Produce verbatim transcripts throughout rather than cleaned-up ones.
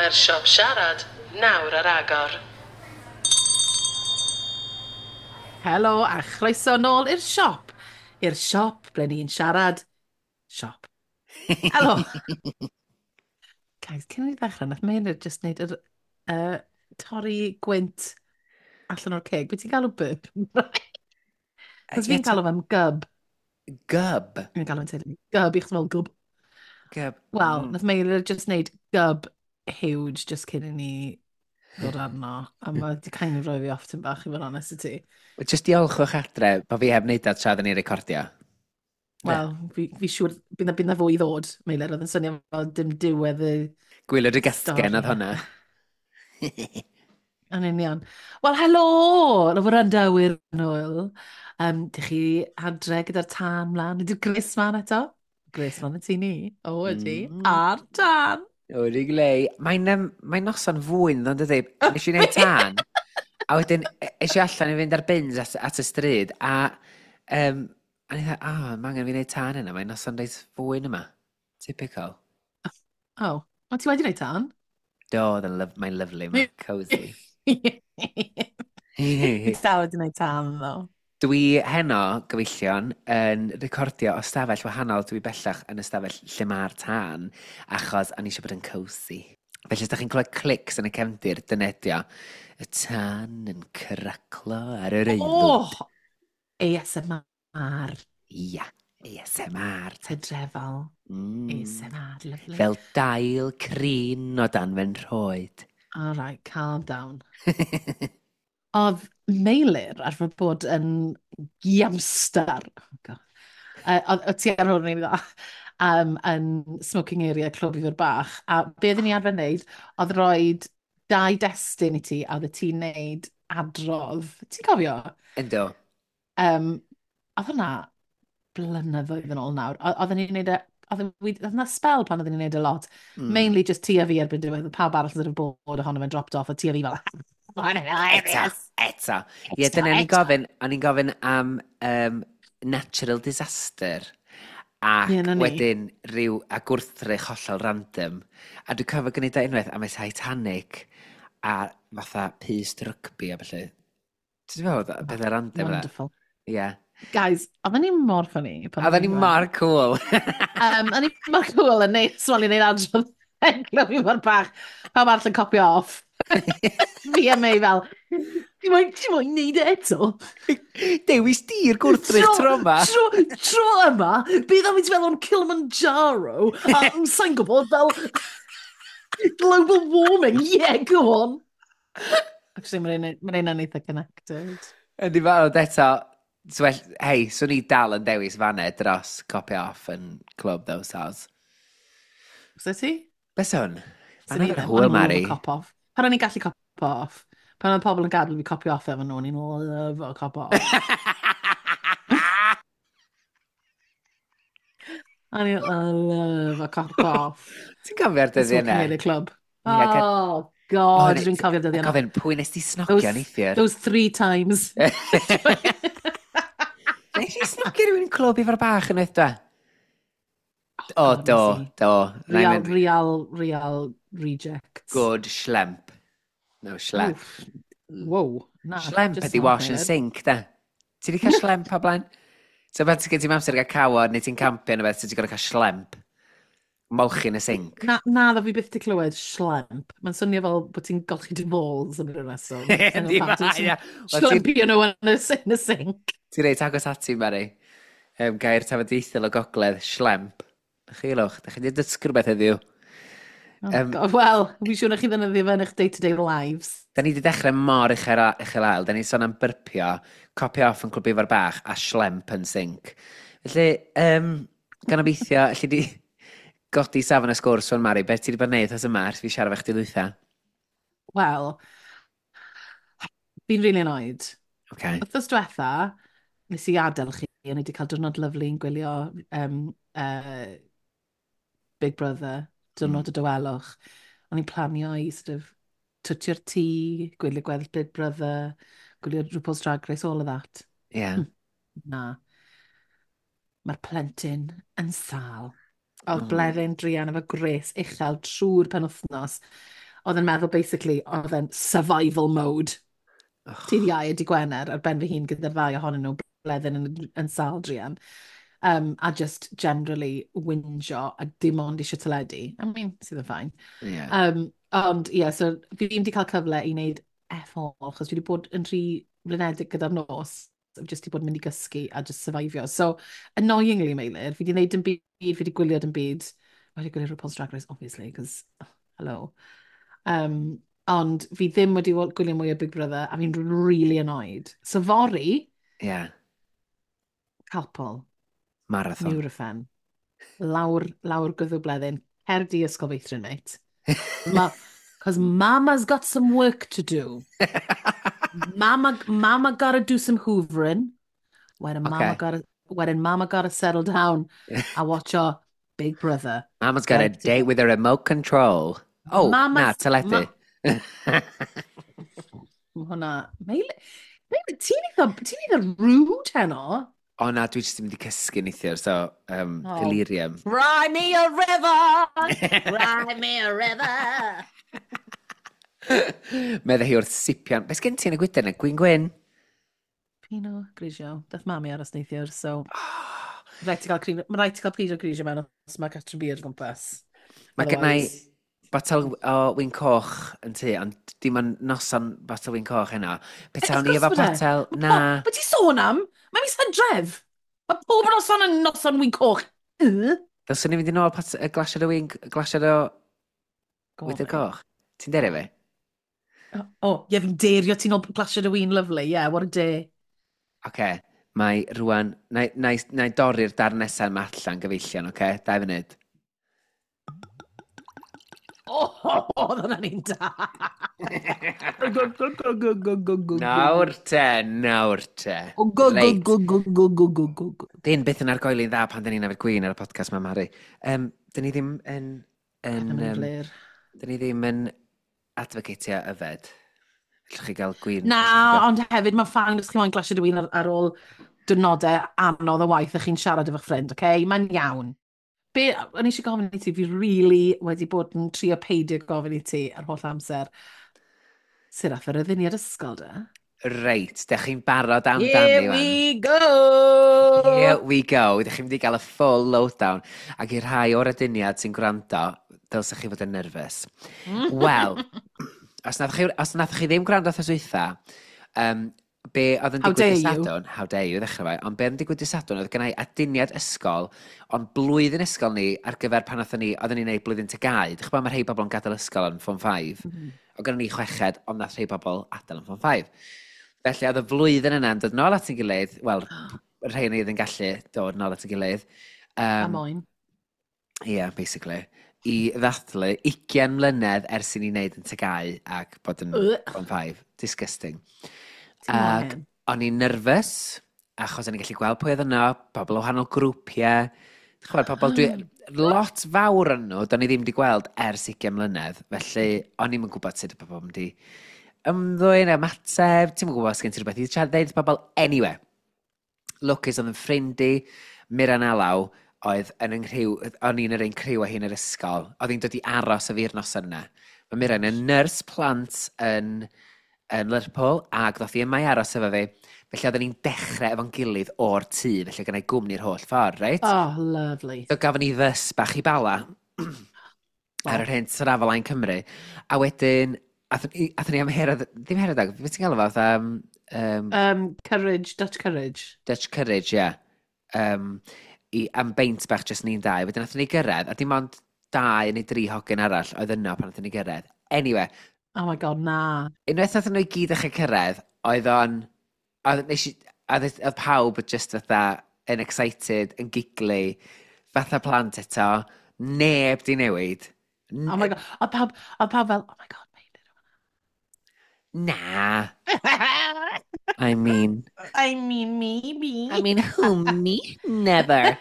Mae'r siop siarad nawr ar agor. Helo a chroeso nôl i'r siop. I'r siop ble ni'n siarad siop. Helo. Guys, cyn i ni ddechrau, nath Meilir just wneud yr uh, torri gwynt allan o'r ceg. Be ti'n galw burp? Cos fi'n galw fe'n gyb. Gyb? Fi'n galw fe'n teulu. Gyb, i'ch fel gyb. Gyb. Wel, mm. nath Meilir just wneud gyb huge just cyn i ni ddod arno. A mae di kind of rhoi fi off tym bach i fod yn honest i ti. Just diolchwch adre bod fi heb wneud dat tra ddyn ni'n recordio. Wel, fi, fi siŵr, bydd na, bydd na fwy i ddod, Meilir, oedd yn swnio fel dim diwedd y Gwylio dy gasgen oedd hwnna. Yn union. Wel, helo! Y wrandawyr nôl. Um, dych chi adre gyda'r tân mlaen? Ydy'r gres mlaen eto? Gres mlaen y tŷ ni. O, ydy. Mm. A'r tân! O'r glei. Mae'n um, mae noson fwyn, ddo'n dydy. Nes i wneud tân, a wedyn e- es i allan i fynd ar bins at, at y stryd, a, um, a ni dweud, oh, mae angen fi wneud tân yna, mae'n noson reit fwyn yma. Typical. O, oh, o ti wedi gwneud tân? Do, oedd yn lyf mae'n lyfli, mae'n cozy. Fi dal wedi gwneud tân, ddo. Dwi heno, gyfeillion, yn recordio o stafell wahanol. Dwi bellach yn y stafell lle mae'r tân, achos o'n i eisiau bod yn cozy. Felly, os da chi'n clywed clics yn y cefndir, dyna ydi o. Y tân yn craclo ar yr aelwyd. Oh! A S M R. Ia, A S M R. Hydrefol. Mm. A S M R, lovely. Fel dail crin o dan fy nhroed. All right, calm down. Oedd Meilir arfer bod yn giamstar. Oh God. Uh, oedd ti ar hwn i'n dda. Um, yn smoking area Clwb Ifor Bach. A be oedden ni arfer wneud, oedd roed dau destun i ti, a oedd ti'n wneud adrodd. Ti'n cofio? Ynddo. Um, oedd hwnna blynyddoedd yn ôl nawr. Oedden ni'n wneud e, oedd oedd yna spell pan oedden ni'n wneud e lot. Mm. Mainly just ti a fi erbyn diwedd, pawb arall yn bod ohono fe'n dropped off, a ti a fi fel, Eto, hilarious. eto. Ie, dyna ni'n gofyn, o'n i'n gofyn am um, natural disaster. Ac Ie, 'na ni. wedyn rhyw a gwrthrych hollol random. A dwi'n cofio gwneud o unwaith am y Titanic a fatha pyst rygbi a felly. Ti'n meddwl, pethau random yna? Wonderful. Ie. Guys, oedden ni mor funny. pan Oedden ni i'n mor cool. Um, o'n i mor cool yn neud, swali neud adrodd Clwb Ifor Bach. Pawb arall yn copio off. Fi a May fel, ti moyn, ti moyn neud e eto? Dewis di'r gwrthrych tro yma. Tro, tro yma, bydd am i ti fel o'n Kilimanjaro, a sa'n gwybod fel global warming, yeah, go on. Actually, mae'n un yn eitha connected. Yndi fel, ond eto, so well, hei, swn i dal yn dewis fanne dros copio off yn Clwb though, soz. So ti? Be swn? Swn i Fan'na ddim. hwyl, O'n i'n Mari. lyfo cop off. Pan o'n i'n gallu cop off, pan oedd pobl yn gadael fi copio off efo nhw, o'n i'n lyfo cop off. O'n i'n lyfo cop off. Ti'n cofio'r dyddiau Smoking yna? Area Club. Ie, ca- Oh, God, O, dwi'n cofio'r dyddiau yna. Gofyn, pwy nes ti snocio Those- neithiwr? Those three times. Nes i snocio rhywun yn Clwb Ifor Bach yn dda? O, God, do, nes i. do. Na i Real, mynd, real, real rejects. Good schlemp. No, schlemp. Oof. Wow. Na, Schlemp just ydi not wash and heard. sink, da. Ti di cael schlemp o blaen? So pan ti'n gen ti'n amser i gael cawod neu ti'n campio neu beth, so ti'n gorfod cael schlemp. Molchi yn y sink. Na, na, ddo fi byth di clywed schlemp. Mae'n swnio fel bod ti'n golchi dy balls yn rhywun reswm. Yndi, ma, ia. Wel, ti'n- Schlemp, you know, yn y, in y sink. Ti'n reit agos ati, Mari. Um, gair tafodieithol o gogledd, schlemp. Na chi lwch, da chi wedi dysgu rhywbeth heddiw. Oh, Yym, God, Wel, fi siŵr na chi ddefnyddio fe yn eich day-to-day lives. Da ni wedi dechrau mor uchel, uchel ael. Da ni'n sôn am byrpio, copio off yn Clwb Ifor Bach a schlemp yn sink. Felly, um, gan obeithio, alli di godi safon y sgwrs o'n Mari, beth ti wedi bod yn neud os yma ers fi siarad efo chdi ddwytha? Wel, fi'n really annoyed. Okay. Wythnos diwetha, nes i adael chi, o'n i wedi cael diwrnod lyfli yn gwylio um, uh, Big Brother, diwrnod mm. y dawelwch. O'n i'n planio i sort of twtio'r tŷ, gwylio gweddill Big Brother, gwylio RuPaul's Drag Race, all of that. Yeah. Na. Mae'r plentyn yn sâl. Oedd Mm. Bleddyn druan efo gwres uchel trwy'r penwythnos. Oedd yn meddwl, basically, oedd yn survival mode. Oh. Dydd Iau a dydd Gwener ar ben fy hun gyda'r ddau ohonyn nhw bleddyn yn, yn sal druan. Um, a just generally whinjo a dim ond eisiau teledu. I mean, sydd yn fine. Yeah. Um, ond, ie, yeah, so fi ddim wedi cael cyfle i wneud F all, achos dwi wedi bod yn rhy flinedig gyda'r nos. I've just wedi bod yn mynd i gysgu a just survivio. So, annoyingly, Meilir, fi wedi gwneud yn byd, fi wedi gwylio yn byd. Wedi gwylio RuPaul's Drag Race, obviously, because, hello. Um, ond fi ddim wedi gwylio mwy o Big Brother, a fi'n really annoyed. So, fory, Yeah. Calpol, Marathon. Nurofen, lawr, lawr gwddw bleddyn, cer di ysgol feithrin, mate. Ma, Cause mama's got some work to do. Mama, mama gotta do some hoovering. Wedyn mama Okay. gotta, wedyn mama gotta settle down a watch our Big Brother. Mama's got a Right. date with a remote control. Oh, na, Mama's- teledu. Ma hwnna... Meilir, Meilir, ti'n eitha, ti'n eitha rude heno. O na, dwi jyst yn mynd i cysgu neithiwr, so um, Oh. delirium. Cry me a river! Cry me a river! Medda hi wrth sipian. Be sgen ti yn y gwydr yna? Gwin gwyn? Pinot Grigio. Dath mami aros neithiwr, so... Oh, Rhaid ti gael, cri- ma' rhaid ti gael Pinot Grigio mewn os mae Catrin Beer o gwmpas. Mae gen i Otherwise- botel o win coch yn tŷ, ond dim ond noson botel win coch heno. Petawn Wrth ni gwrs efo bod e. botel, Ma' na. po- Be ti sôn am? Mae mis Hydref. Mae pob noson yn noson win coch. Yy? Ddylswn ni fynd i nôl pot, y glasiad o win, glasiad o Go on, wydr mate. coch. Ti'n derio fi? O, oh, ie, fi'n derio ti'n ôl glasiad o win, lovely. Yeah, what a day. Oce, okay. Mae rwan, na, na, na i dorri'r darn nesaf yma allan gyfeillion, oce? Okay? Dau funud. O, oh, oedd hwnna'n un da. Go, go, go, go, go, go, go. Nawr te, nawr te. O, go, go, Reit. go, go, go, go, go, go, go. Dyn byth yn argoeli'n dda pan dyn ni'n yfed gwin ar y podcast ma, Mari. Um, dyn ni ddim yn... yn Yn um, glir. dyn ni ddim yn advocatio yfed. Allwch chi gael gwin. Na, allwch chi gael- ond hefyd mae'n fine os chi moyn glasiad o win ar, ar ôl diwrnodau anodd o waith a chi'n siarad efo'ch ffrind, oce? Okay? Mae'n iawn. Be, o'n i eisiau gofyn i ti, fi really wedi bod yn trio peidio gofyn i ti ar holl amser. Sut ath yr aduniad ysgol, de? Reit, dych chi'n barod amdani Here wan. we go! Here we go. Ydych chi'n mynd i gael y full lowdown. Ac i'r rhai o'r aduniad sy'n gwrando, dylsech chi fod yn nerfus. Wel, os nath chi, os nath chi ddim gwrando wrth dwytha, um, be oedd yn How digwydd dare dy you. Sadwrn, how dare you, ddechrau fe, ond be oedd yn digwydd dy Sadwrn, oedd gennau aduniad ysgol, ond blwyddyn ysgol ni ar gyfer pan oedden ni, oedden ni'n neud blwyddyn T G A U. Dych chi'n gwbod, mae rhai bobl yn gadael ysgol yn Form five. Mm. Oedd gynnon ni chweched, ond nath rhai bobl adael yn Form five. Felly oedd y flwyddyn yna yn dod nôl at ein gilydd, wel, y rhai ni oedd yn gallu dod nôl at ein gilydd. A Um, moyn. Ie, yeah, basically. I ddathlu ugain mlynedd ers i ni wneud yn T G A U ac bod yn Ugh. Form five. Disgusting. Ti'n mor Ac hen. o'n i'n nerfus, achos o'n i'n gallu gweld pwy oedd yno, pobl o wahanol grwpiau. Ti'n chwbod, pobl dwi... Lot fawr yn nhw, do'n i ddim wedi gweld ers ugain mlynedd, felly o'n i'm yn gwybod sut y pobl yn mynd i ymddwyn, ymateb, ti'n gwybod os gen ti rhywbeth i siarad ddeud wrth bobl. Anyway, lwcus oedd yn ffrind i, Miran Alaw, oedd yn yng nghriw, o'n i'n yr un criw â hi'n yr ysgol. Oedd hi'n dod i aros y fi'r noson yna. Mae Miran yn nyrs plant yn, yn Lerpwl, ac ddoth hi yma i aros efo fi. Felly oedden ni'n dechrau efo'n gilydd o'r tŷ, felly gynna i gwmni'r holl ffordd, reit? Oh, lovely. So gafon ni fys bach i Bala ar yr hen Traveline Cymru. A wedyn, athon ni, athon ni am Herod, ddim Herodog, beth ti'n galw fo, fatha, um, um, Um, courage, Dutch courage. Dutch Courage, ie. Yeah. Um, i, am beint bach jyst ni'n dau. Wedyn athon ni gyrraedd, a dim ond dau neu dri hogyn arall oedd yno pan athon ni gyrraedd. Anyway, Oh my God, na. Unwaith athon nhw i gyd ddechrau cyrraedd, oedd o'n... Oedd, nes i, oedd, oedd pawb just fatha yn excited, yn giggly, fatha plant eto, neb di newid. N- Oh my God. Oedd pawb, oedd pawb fel, "Oh my God, mate." Na, I mean... I mean, maybe. I mean, who, me? Never.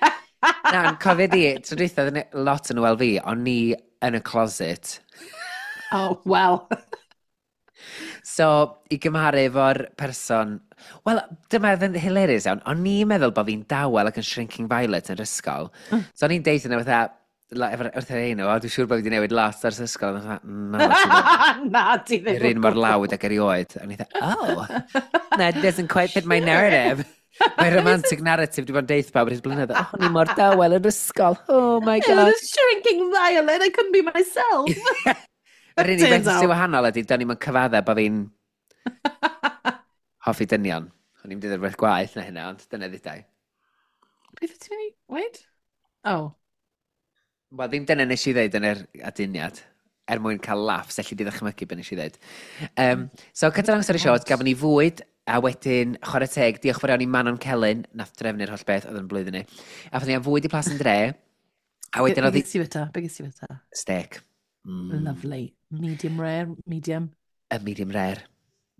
Na, yn cofio di, tro dwytha, oedd yna lot yn wel fi, o'n ni yn y closet. Oh, well. So, i gymharu efo'r person. Wel, dyma oedd yn hilarious iawn. O'n i'n meddwl bod fi'n dawel ac yn shrinking violet yn yr ysgol. Mm. So, o'n i'n deud yna fatha, Wrth yr ein o, dwi'n siŵr bod fi wedi newid lot ers ysgol. A na, na, ti ddim. Yr un mor lawd ag erioed. A ni dda, oh, that doesn't quite fit my narrative. My romantic narrative, dwi'n bod yn deith pawb ar hyd blynedd. Oh, o'n i mor dawel yn ysgol. Oh my God. I was shrinking violet, I couldn't be myself. Yr unig beth sy'n wahanol ydy, do'n i'm yn cyfadde bod fi'n hoffi dynion. O'n i'n dweud rhywbeth gwaeth na hynna, ond dyna ddudai. Beth ti'n mynd i... Wait? Oh. Wel, ddim dyna nes i ddeud yn yr aduniad, er mwyn cael laughs, elli di ddychmygu beth nes i ddeud. Um, so, cut a long story short, gafon ni fwyd, a wedyn, chwarae teg, diolch fawr iawn i Manon Celyn, nath drefnu'r holl beth oedd yn blwyddyn ni. A ni am fwyd i Plas yn Dre, a wedyn oedd... Be gest ti fyta? Be gest ti fyta? Steak. Mm. Lovely. Medium rare, medium. A medium rare.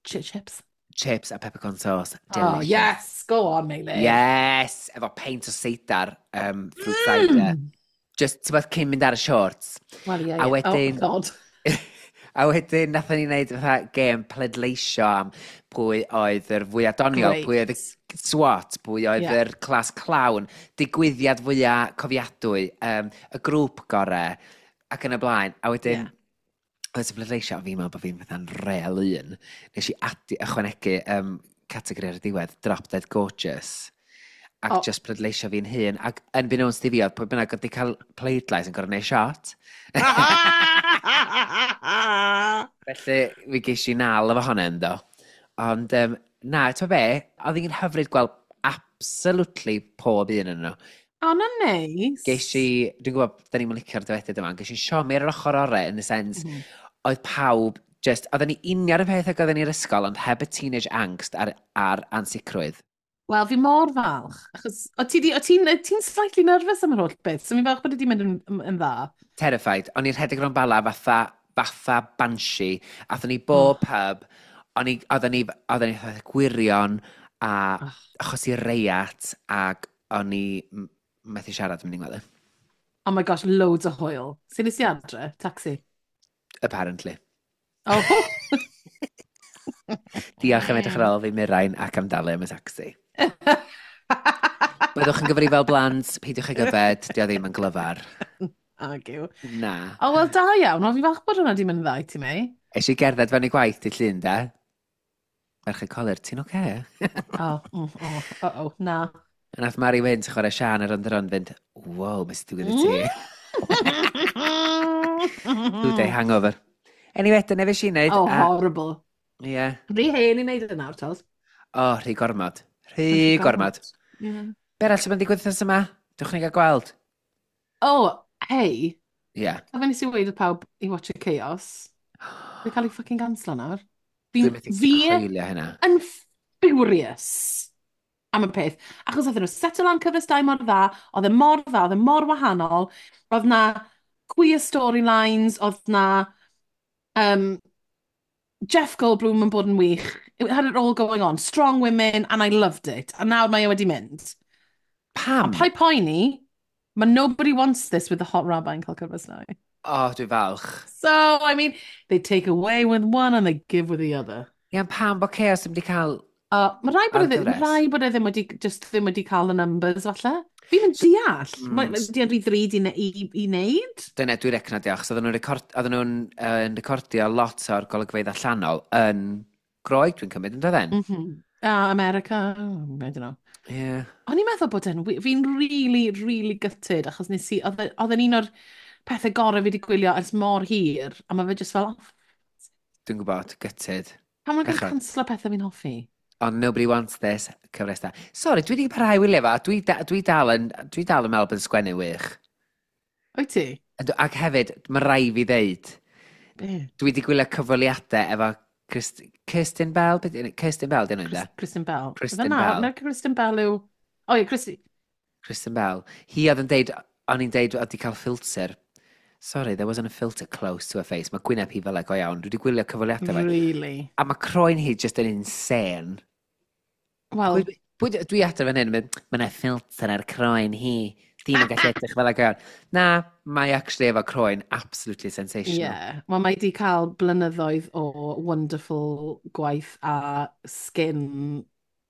Ch chips. Chips a peppercorn sauce. Delicious. Oh, yes! Go on, Meilir. Yes! Efo peint o seidar, um, fruit mm. cider. Just, ti'n bod, cyn mynd ar y shorts. Well, yeah, yeah. A wedyn... Oh, God. A wedyn, nathon ni wneud fatha gêm pleidleisio am pwy oedd yr fwyaf doniol, pwy oedd y SWAT, pwy oedd yeah. yr class clown, digwyddiad fwyaf cofiadwy, um, y grŵp gore, ac yn y blaen. A wedyn, yeah. oedd y pleidleisio, a fi'n meddwl bod fi'n fatha'n real un. Nes i adi, ychwanegu um, categori ar y diwedd, Drop Dead Gorgeous ac oh. just pleidleisio fi'n hun. Ac yn unbeknownst i fi, oedd pwy bynnag oedd wedi cael pleidlais yn gorfod gwneud shot. Felly, fi ges i nal efo hwnna ynddo. Ond, um, na, ti'n be, oedd hi'n hyfryd gweld absolutely pob un yn nhw. O, na neis. Ges i, dwi'n gwybod, da ni'n licio'r dywediad yma, ges i siomi ar yr ochr orau, in the sense, mm -hmm. oedd pawb just, oedden ni union y peth ag oedden ni'r ysgol, ond heb y teenage angst a'r, ar ansicrwydd. Wel, fi mor falch, achos o ti ti'n ti slightly nervous am yr holl beth, so fi'n falch bod wedi mynd yn, yn, yn dda. Terrified. O'n i'n rhedeg rownd Bala fatha, fatha banshee. Athon ni bob oh. pub, o'n i, oedden ni, oedden ni fatha gwirion a oh. achos i reiat ac o'n i methu siarad yn mynd i'n gweld. Oh my gosh, loads o hwyl. Sy'n nes i adre? Taxi? Apparently. Oh. Diolch am edrych ar ôl fi Mirain ac am dalu am y taxi. Byddwch yn gyfrifol blant, peidiwch ag yfed, di o ddim yn glyfar. Ag yw. Na. O, wel, da iawn. Wel, fi falch bod hwnna di mynd yn dda i ti, Mei. Es i gerdded fewn i gwaith di llun, da. Merch y coler, ti'n oce? O, mm, o, o, o, na. A nath Mari Wyn sy'n chwarae Sian ar ond yr ond fynd, wow, beth sy'n digwydd i ti? Two day hangover. Anyway, dyna fe si wneud. Oh, a... horrible. Ie. Yeah. Rhy hen i wneud yna, nawr, O, oh, rhy gormod. Rhy gormod. Yeah. Be arall sy'n mynd digwydd wythnos yma? Dewch ni gael gweld. Oh, hei. Ie. Yeah. A fe nes i weid wrth pawb i watch y Chaos. Fe cael ei fucking canslo nawr. Fi, fi hynna. Yn furious am y peth. Achos oedden nhw settle lan cyfres dau mor dda, oedd e mor dda, oedd e mor wahanol, oedd na queer storylines, oedd na um, Jeff Goldblum yn bod yn wych. It had it all going on. Strong women, and I loved it. A nawr mae e wedi mynd. Pam? A paid poeni, mae nobody wants this with the hot rabbi yn cael cyfres now. Oh, dwi'n falch. So, I mean, they take away with one and they give with the other. Ie, pam bod Chaos ddim wedi cael... Uh, mae rai bod e ddim, rai bod e ddim wedi, just ddim wedi cael y numbers, falle. Fi'n mynd deall. Mm. Mae di rhy ddrud i, i, i wneud. Dyna, dwi'n recno diolch. So, oedden nhw'n record, oedden nhw'n uh, recordio lot o'r golygfeydd allanol yn Groeg, dwi'n cymryd, yn dydden? Mm -hmm. Uh, America, oh, I don't know. Yeah. O'n i'n meddwl bod e'n... Fi'n really, really gutted, achos nes i... Oedd e, e'n un o'r pethau gorau fi wedi gwylio ers mor hir, a mae fe just fel... Oh, dwi'n gwybod, gutted. Pam mae'n cael canslo pethau fi'n hoffi? Ond nobody wants this, cyfres da. Sorry, dwi wedi parhau wylio fo, dwi, da, dwi, dal yn, dwi dal yn meddwl bod yn sgwennu wych. Wyt ti? Ac hefyd, mae rai fi ddeud, Be? Dwi wedi gwylio cyfweliadau efo Christ, Kirsten Bell? Kirsten Bell, dyn nhw'n Kristen Bell. Kristen Bell. Na, Kristen Bell yw... O ie, Kristen... Kristen Bell. Hi oedd yn deud, o'n i'n deud, oedd wedi cael filter. Sorry, there wasn't a filter close to her face. Mae gwyneb hi fel e go iawn. Dwi wedi gwylio cyfweliadau fe. Really? A mae croen hi just yn insane. Wel... Pwy, pwy, dwi adre fan hyn, mynd, mae yna filter ar croen hi. Dim yn gallu edrych fel e go iawn. Na, mae actually efo croen absolutely sensational. Yeah. Wel, mae di cael blynyddoedd o wonderful gwaith a skin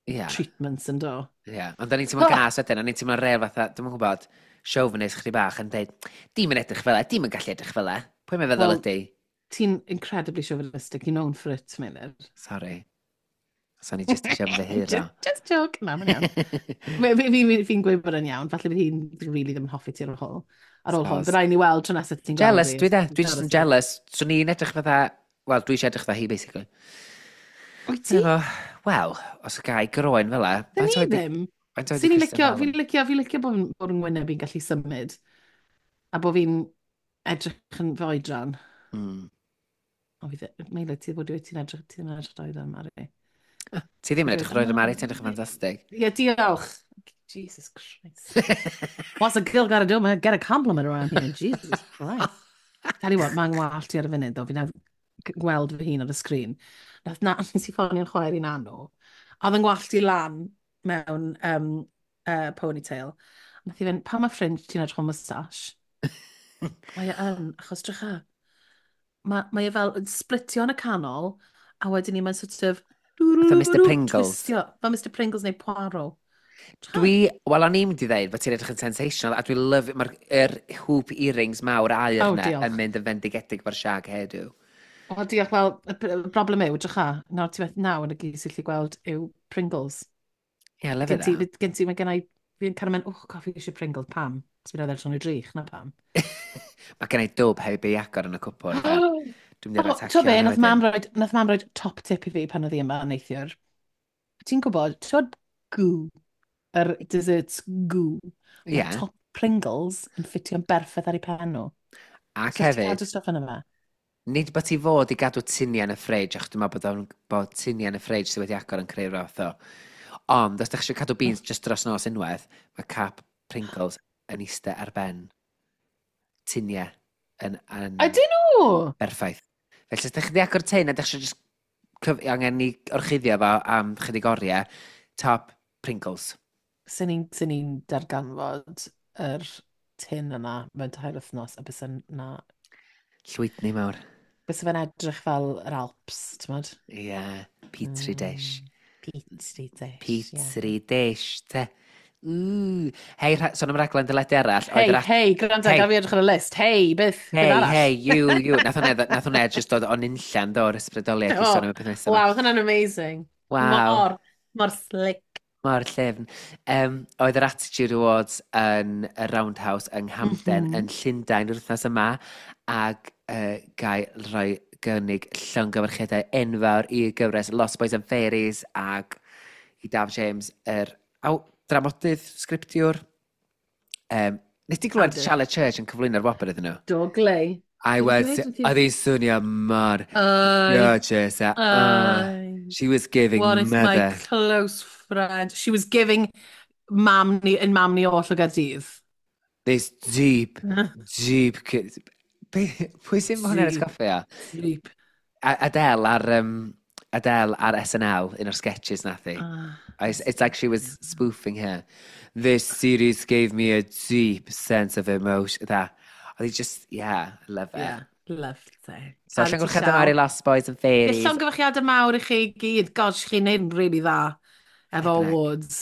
yeah. treatments yn do. Ie, yeah. Ond o'n i'n teimlo'n gas wedyn, o'n i'n teimlo'n rêl fatha, dwi'm yn gwybod, chauvinist chdi bach yn dweud, dim yn edrych fel e, dim yn gallu edrych fel e. Pwy mae'n feddwl Wel, ydy? Ti'n incredibly chauvinistic. You're known for it, Meilir. Sorry. So ni just eisiau ymddiheuro. Just, just joke. Na, mae'n iawn. Fi- fi- fi- Fi'n gweud bod yn iawn. Falle bydd hi'n really ddim yn hoffi ti ar ôl. Ar ôl hwn. Soz. Bydd rhaid ni weld tro nesaf ti'n gweld Jealous, fi. dwi de. Dwi just yn Jealous. jealous. So ni'n edrych fatha, wel, dwi eisiau edrych fatha hi, basically. Wyt ti? Efo, wel, os y gai groen fel e. Dyn faint ni oed 'di- ddim. faint oed 'di Sy'n ni'n Kristen licio, Bell? fi'n licio, fi'n licio bod, bod yn ngwyneb i'n gallu symud. A bod fi'n edrych yn fy oedran. Mm. O, fi dde- Meilir, ti bod ti'n edrych, ti ddim yn edrych oedran, Mari. Ti ddim yn edrych roed y Mari, Oh. ti'n edrych yn ffantastig. Ie, diolch. Jesus Christ. What's a girl gotta do, man? Get a compliment around here. Jesus Christ. Tell you what, mae'n wallt i ar y funud, though. Fi'n gweld fy hun ar y sgrin. Nath na, nes i ffonio'n chwaer i'n anw. A oedd yn gwallt i lan mewn um, uh, ponytail. Nath i fynd, pa mae ffrind ti'n edrych o moustache? Mae e yn, achos drycha. Mae, mae e fel yn splitio yn y canol, a wedyn ni mae'n sort of... Fatha Mr Pringles. Twistio, fel Mr Pringles neu Poirot. Drycha. Dwi, wel, o'n i'n mynd i ddeud bod ti'n edrych yn sensational, a dwi'n love, mae'r er hoop earrings mawr aur Oh, yna diolch. yn mynd yn fendigedig fo'r shag hairdo. O, diolch, wel, y p- y broblem yw, drycha, nawr ti beth nawr yn y gyd sy'n gallu gweld yw Pringles. Ie, yeah, love Gen ti, that. gen ti, mae gen i, fi'n cael mynd, oh, god, fi eisiau Pringles, pam? Cos fi'n edrych yn y drych, na pam. Mae gen i dwb heb ei agor yn y cwpwrdd. a Dwi'n mynd i O, atacio T'o be, hwnna nath wedyn. mam roed, nath mam roed top tip i fi pan oedd hi yma neithiwr. Ti'n gwybod, ti'n gwybod goo, yr desserts goo. Mae Ie, top Pringles yn ffitio'n berffaith ar ei pen nhw. ac So ti'n hefyd, cadw stuff yn yma. nid bod ti fod i gadw tuniau yn y fridge, achos dwi'n meddwl bod, o'n, bod tuniau yn y fridge sydd wedi agor yn creu fath o. Ond, os ydych chi eisiau cadw beans just dros nos unwaith, mae cap Pringles yn eistedd ar ben tuniau yn, yn Ydyn nhw? berffaith. Felly, os ydych chi wedi agor tin a ydych chi just cyf- angen i orchuddio fo am chydig oriau, top Pringles. Sy'n ni'n sy ni'n darganfod yr tin yna mewn tair wythnos a bys yna Llwydni mawr. bys fe'n edrych fel yr Alps, ti'n modd? Ie, yeah, Petri dish. Mm, Petri dish, ie. Petri dish, te. Ww. Hei, rha- sôn am raglen deledu arall. oedd Hei, yr act- hei, gwrando, Hei. gaf fi edrych ar y list. Hei, beth, beth Hei, arall? hei, you, you. Nath hwnna, nath hwnna just dod o'n unllan do, o'r ysbrydoliaeth i Do. sôn am y peth nesaf. Waw, hwnna'n amazing. Waw, Mor, mor slick. mor llyfn. Um, oedd yr Attitude Awards yn y Roundhouse yng Nghamden mm Mhm. -hmm. yn Llundain yr wythnos yma, ac uh, gai rhoi gynnig llongyfarchiadau enfawr i gyfres Lost Boys and Fairies ac i Daf James, yr aw, dramodydd, sgriptiwr. Um, nes ti glywed Awdur. Charlotte Church yn cyflwyno'r wobr iddyn nhw? Do glei. I Dwi'n was, dweud wrth i- oedd hi'n swnio mor Ai, gorgeous. a- uh, ai. she was giving What if my mother. close friend... She was giving mam ni, yn mam ni oll o Gaerdydd. This deep, deep... ki- Be- Pwy sy'n hwnna'n Deep. atgoffa o? Deep. A- Adele ar, um, Adele ar S N L, un o'r sketches nath hi. Ah, It's, it's like she was spoofing her. "This series gave me a deep sense of emotion." That. Oedd hi just, yeah, I love it. Yeah, loved it. So, Caru ti llongyfarchiadau llaw. mawr i Lost Boys and Fairies. Llongyfarchiadau mawr i chi gyd. Gosh, chi'n neud yn really dda efo Heck. awards.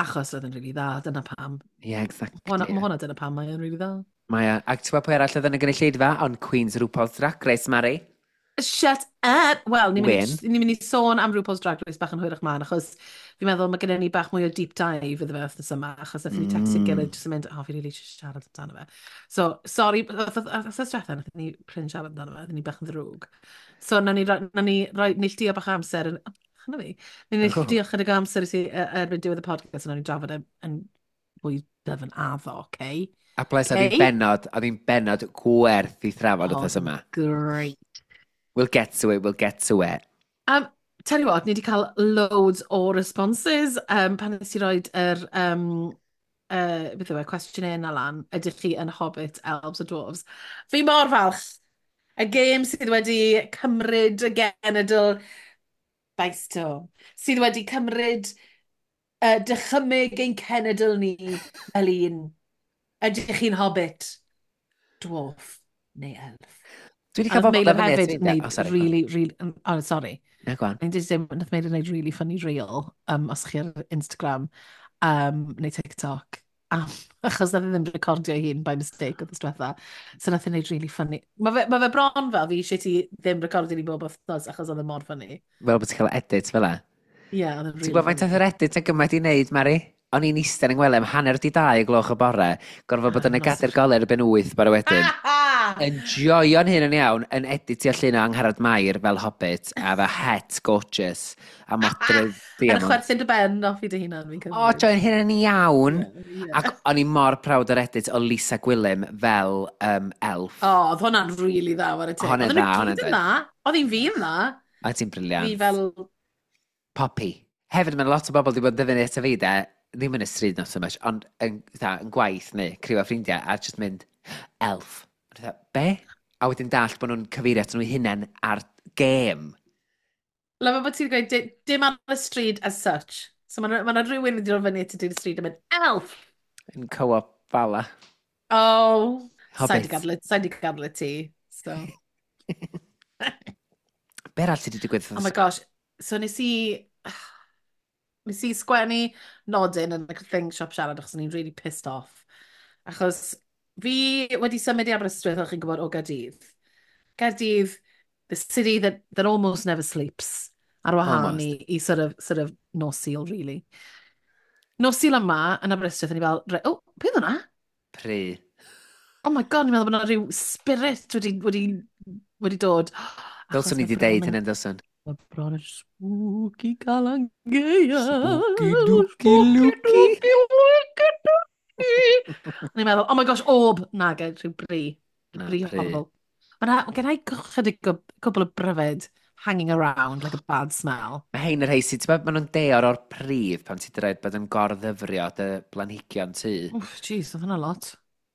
Achos oedd yn really dda, dyna pam. Yeah, exactly. Hwna, mae hwnna dyna pam mae yn really dda. Mae o, ac ti'n gwybod pwy arall oedd yn y gynulleidfa? Ond Queen's RuPaul's Drag Race, Mari. Shut up! Wel, ni'n mynd, Wyn. i- ni'n mynd i sôn am RuPaul's Drag Race bach yn hwyrach mlaen, achos fi'n meddwl mae gennym ni bach mwy o deep dive iddo fe wythnos yma, achos nathon ni textio'n Mm. gilydd jyst yn mynd, "Oh, fi really eisiau siarad amdano fe." So, sorry, wythnos diwetha, nathon ni prin siarad amdano fe, nathon ni bach yn ddrwg. So, nawn ni, roi- nawn ni roi neilltuo bach o amser yn... Oh, hwnna fi. Nawn ni neilltuo chydig o amser i ti yy, erbyn diwedd y podcast, a nawn ni drafod e yn fwy dyfn addo, okay? A bles, oedd hi'n Okay. bennod, oedd hi'n bennod gwerth i thrafod wythnos yma. Great. We'll get to it, we'll get to it. Um, tell you what, ni wedi cael loads o responses. Um, pan nes i roed yr, um, uh, beth yw e, questionnaire yna lan, ydych chi yn Hobbit, Elves a Dwarves? Fi mor falch. Y gêm sydd wedi cymryd y genedl by storm, sydd wedi cymryd uh, dychymyg ein cenedl ni fel un. Ydych chi'n Hobbit, Dwarf neu Elf? Dwi wedi A cael nath bobl Meilir fyny at hefyd fi. wneud Oh, sorry. really, really, oh, sorry. Na, go on. Ni'n dweud dim, nath Meilir wneud really funny reel, um, os chi ar Instagram um, neu TikTok, Am, achos nath e ddim recordio ei hun by mistake oedd diwetha. So nath e wneud really funny. Mae fe, ma fe bron fel fi eisiau ti ddim recordio ni bob wythnos achos oedd e mor funny. Fel bod ti'n cael edit fel e. Ie, yeah, oedd e'n Ti'n really gwybod faint funny. oedd yr edit yn gymaint i wneud, Mari? O'n i'n eistedd yn ngwely am hanner di dau y gloch y bore, gorfod bod yn y Ah, gadair golau erbyn wyth bore wedyn. Ah! Enjoyo'n hyn yn iawn, yn editio llun o Angharad Mair fel Hobbit, a fe het gorgeous, a modrydd Yn diamond. chwerthin dy ben off i dy hunan, fi'n O, joio'n hyn yn iawn. Yeah. Ac o'n i mor proud o'r edit o Lisa Gwilym fel um, elf. O, oedd hwnna'n really dda, war y teg. Hwnna'n Oedden dda, nhw hwnna'n gyd yn dda. dda. Oedd hi'n fi'n dda. A ti'n brilliant. Fi fel. Poppy. Hefyd, mae lot o bobl wedi bod yn dyfynu ato fi, de, ddim yn y stryd not so much, ond yn, fatha, yn gwaith neu criw o ffrindiau, a just mynd, "Elf." A fatha, "Be?" A wedyn dallt bod nhw'n cyfeirio at nhw hunain ar gêm. Lyfo bod ti'n gweud, di- dim ar y stryd as such. So mae yna rhywun wedi dod fyny at y stryd a mynd, "Elf!" Yn co-op Bala. Oh, sa'i Hobbit. di gadw, sa'i di gadw ti. So. Be arall sydd wedi digwydd? Oh my gosh. So nes i... Nes i sgwennu nodyn yn y thing Siop Siarad achos o'n i'n really pissed off. Achos fi wedi symud i Aberystwyth, o'ch chi'n gwybod, o Gaerdydd. Gaerdydd, the city that, that almost never sleeps. Ar wahân i, Almost. i sort of, sort of nos Sul, really. Nos Sul yma yn Aberystwyth, o'n i fel, "Re- oh, beth hwnna?" Pry. Oh my God, ni'n meddwl bod yna rhyw spirit wedi, wedi, wedi dod. Achos Dylswn i mae wedi bron deud yn hynny, dylswn. Mae bron yn spooky Calan Gaeaf. Spooky dooky looky. Spooky looky dooky. O'n i'n meddwl, "Oh my gosh, orb." Na, gen rhyw bri. Na, Bri pry. horrible. Mae gen i chydig o cwbl o bryfed hanging around like a bad smell. Mae hein yr rhai sydd, ti'n gwbod, maen nhw'n deor o'r pridd pan ti'n dweud bod yn gordyfrio dy blanhigion tŷ. Wff, jeez, oedd hwnna lot.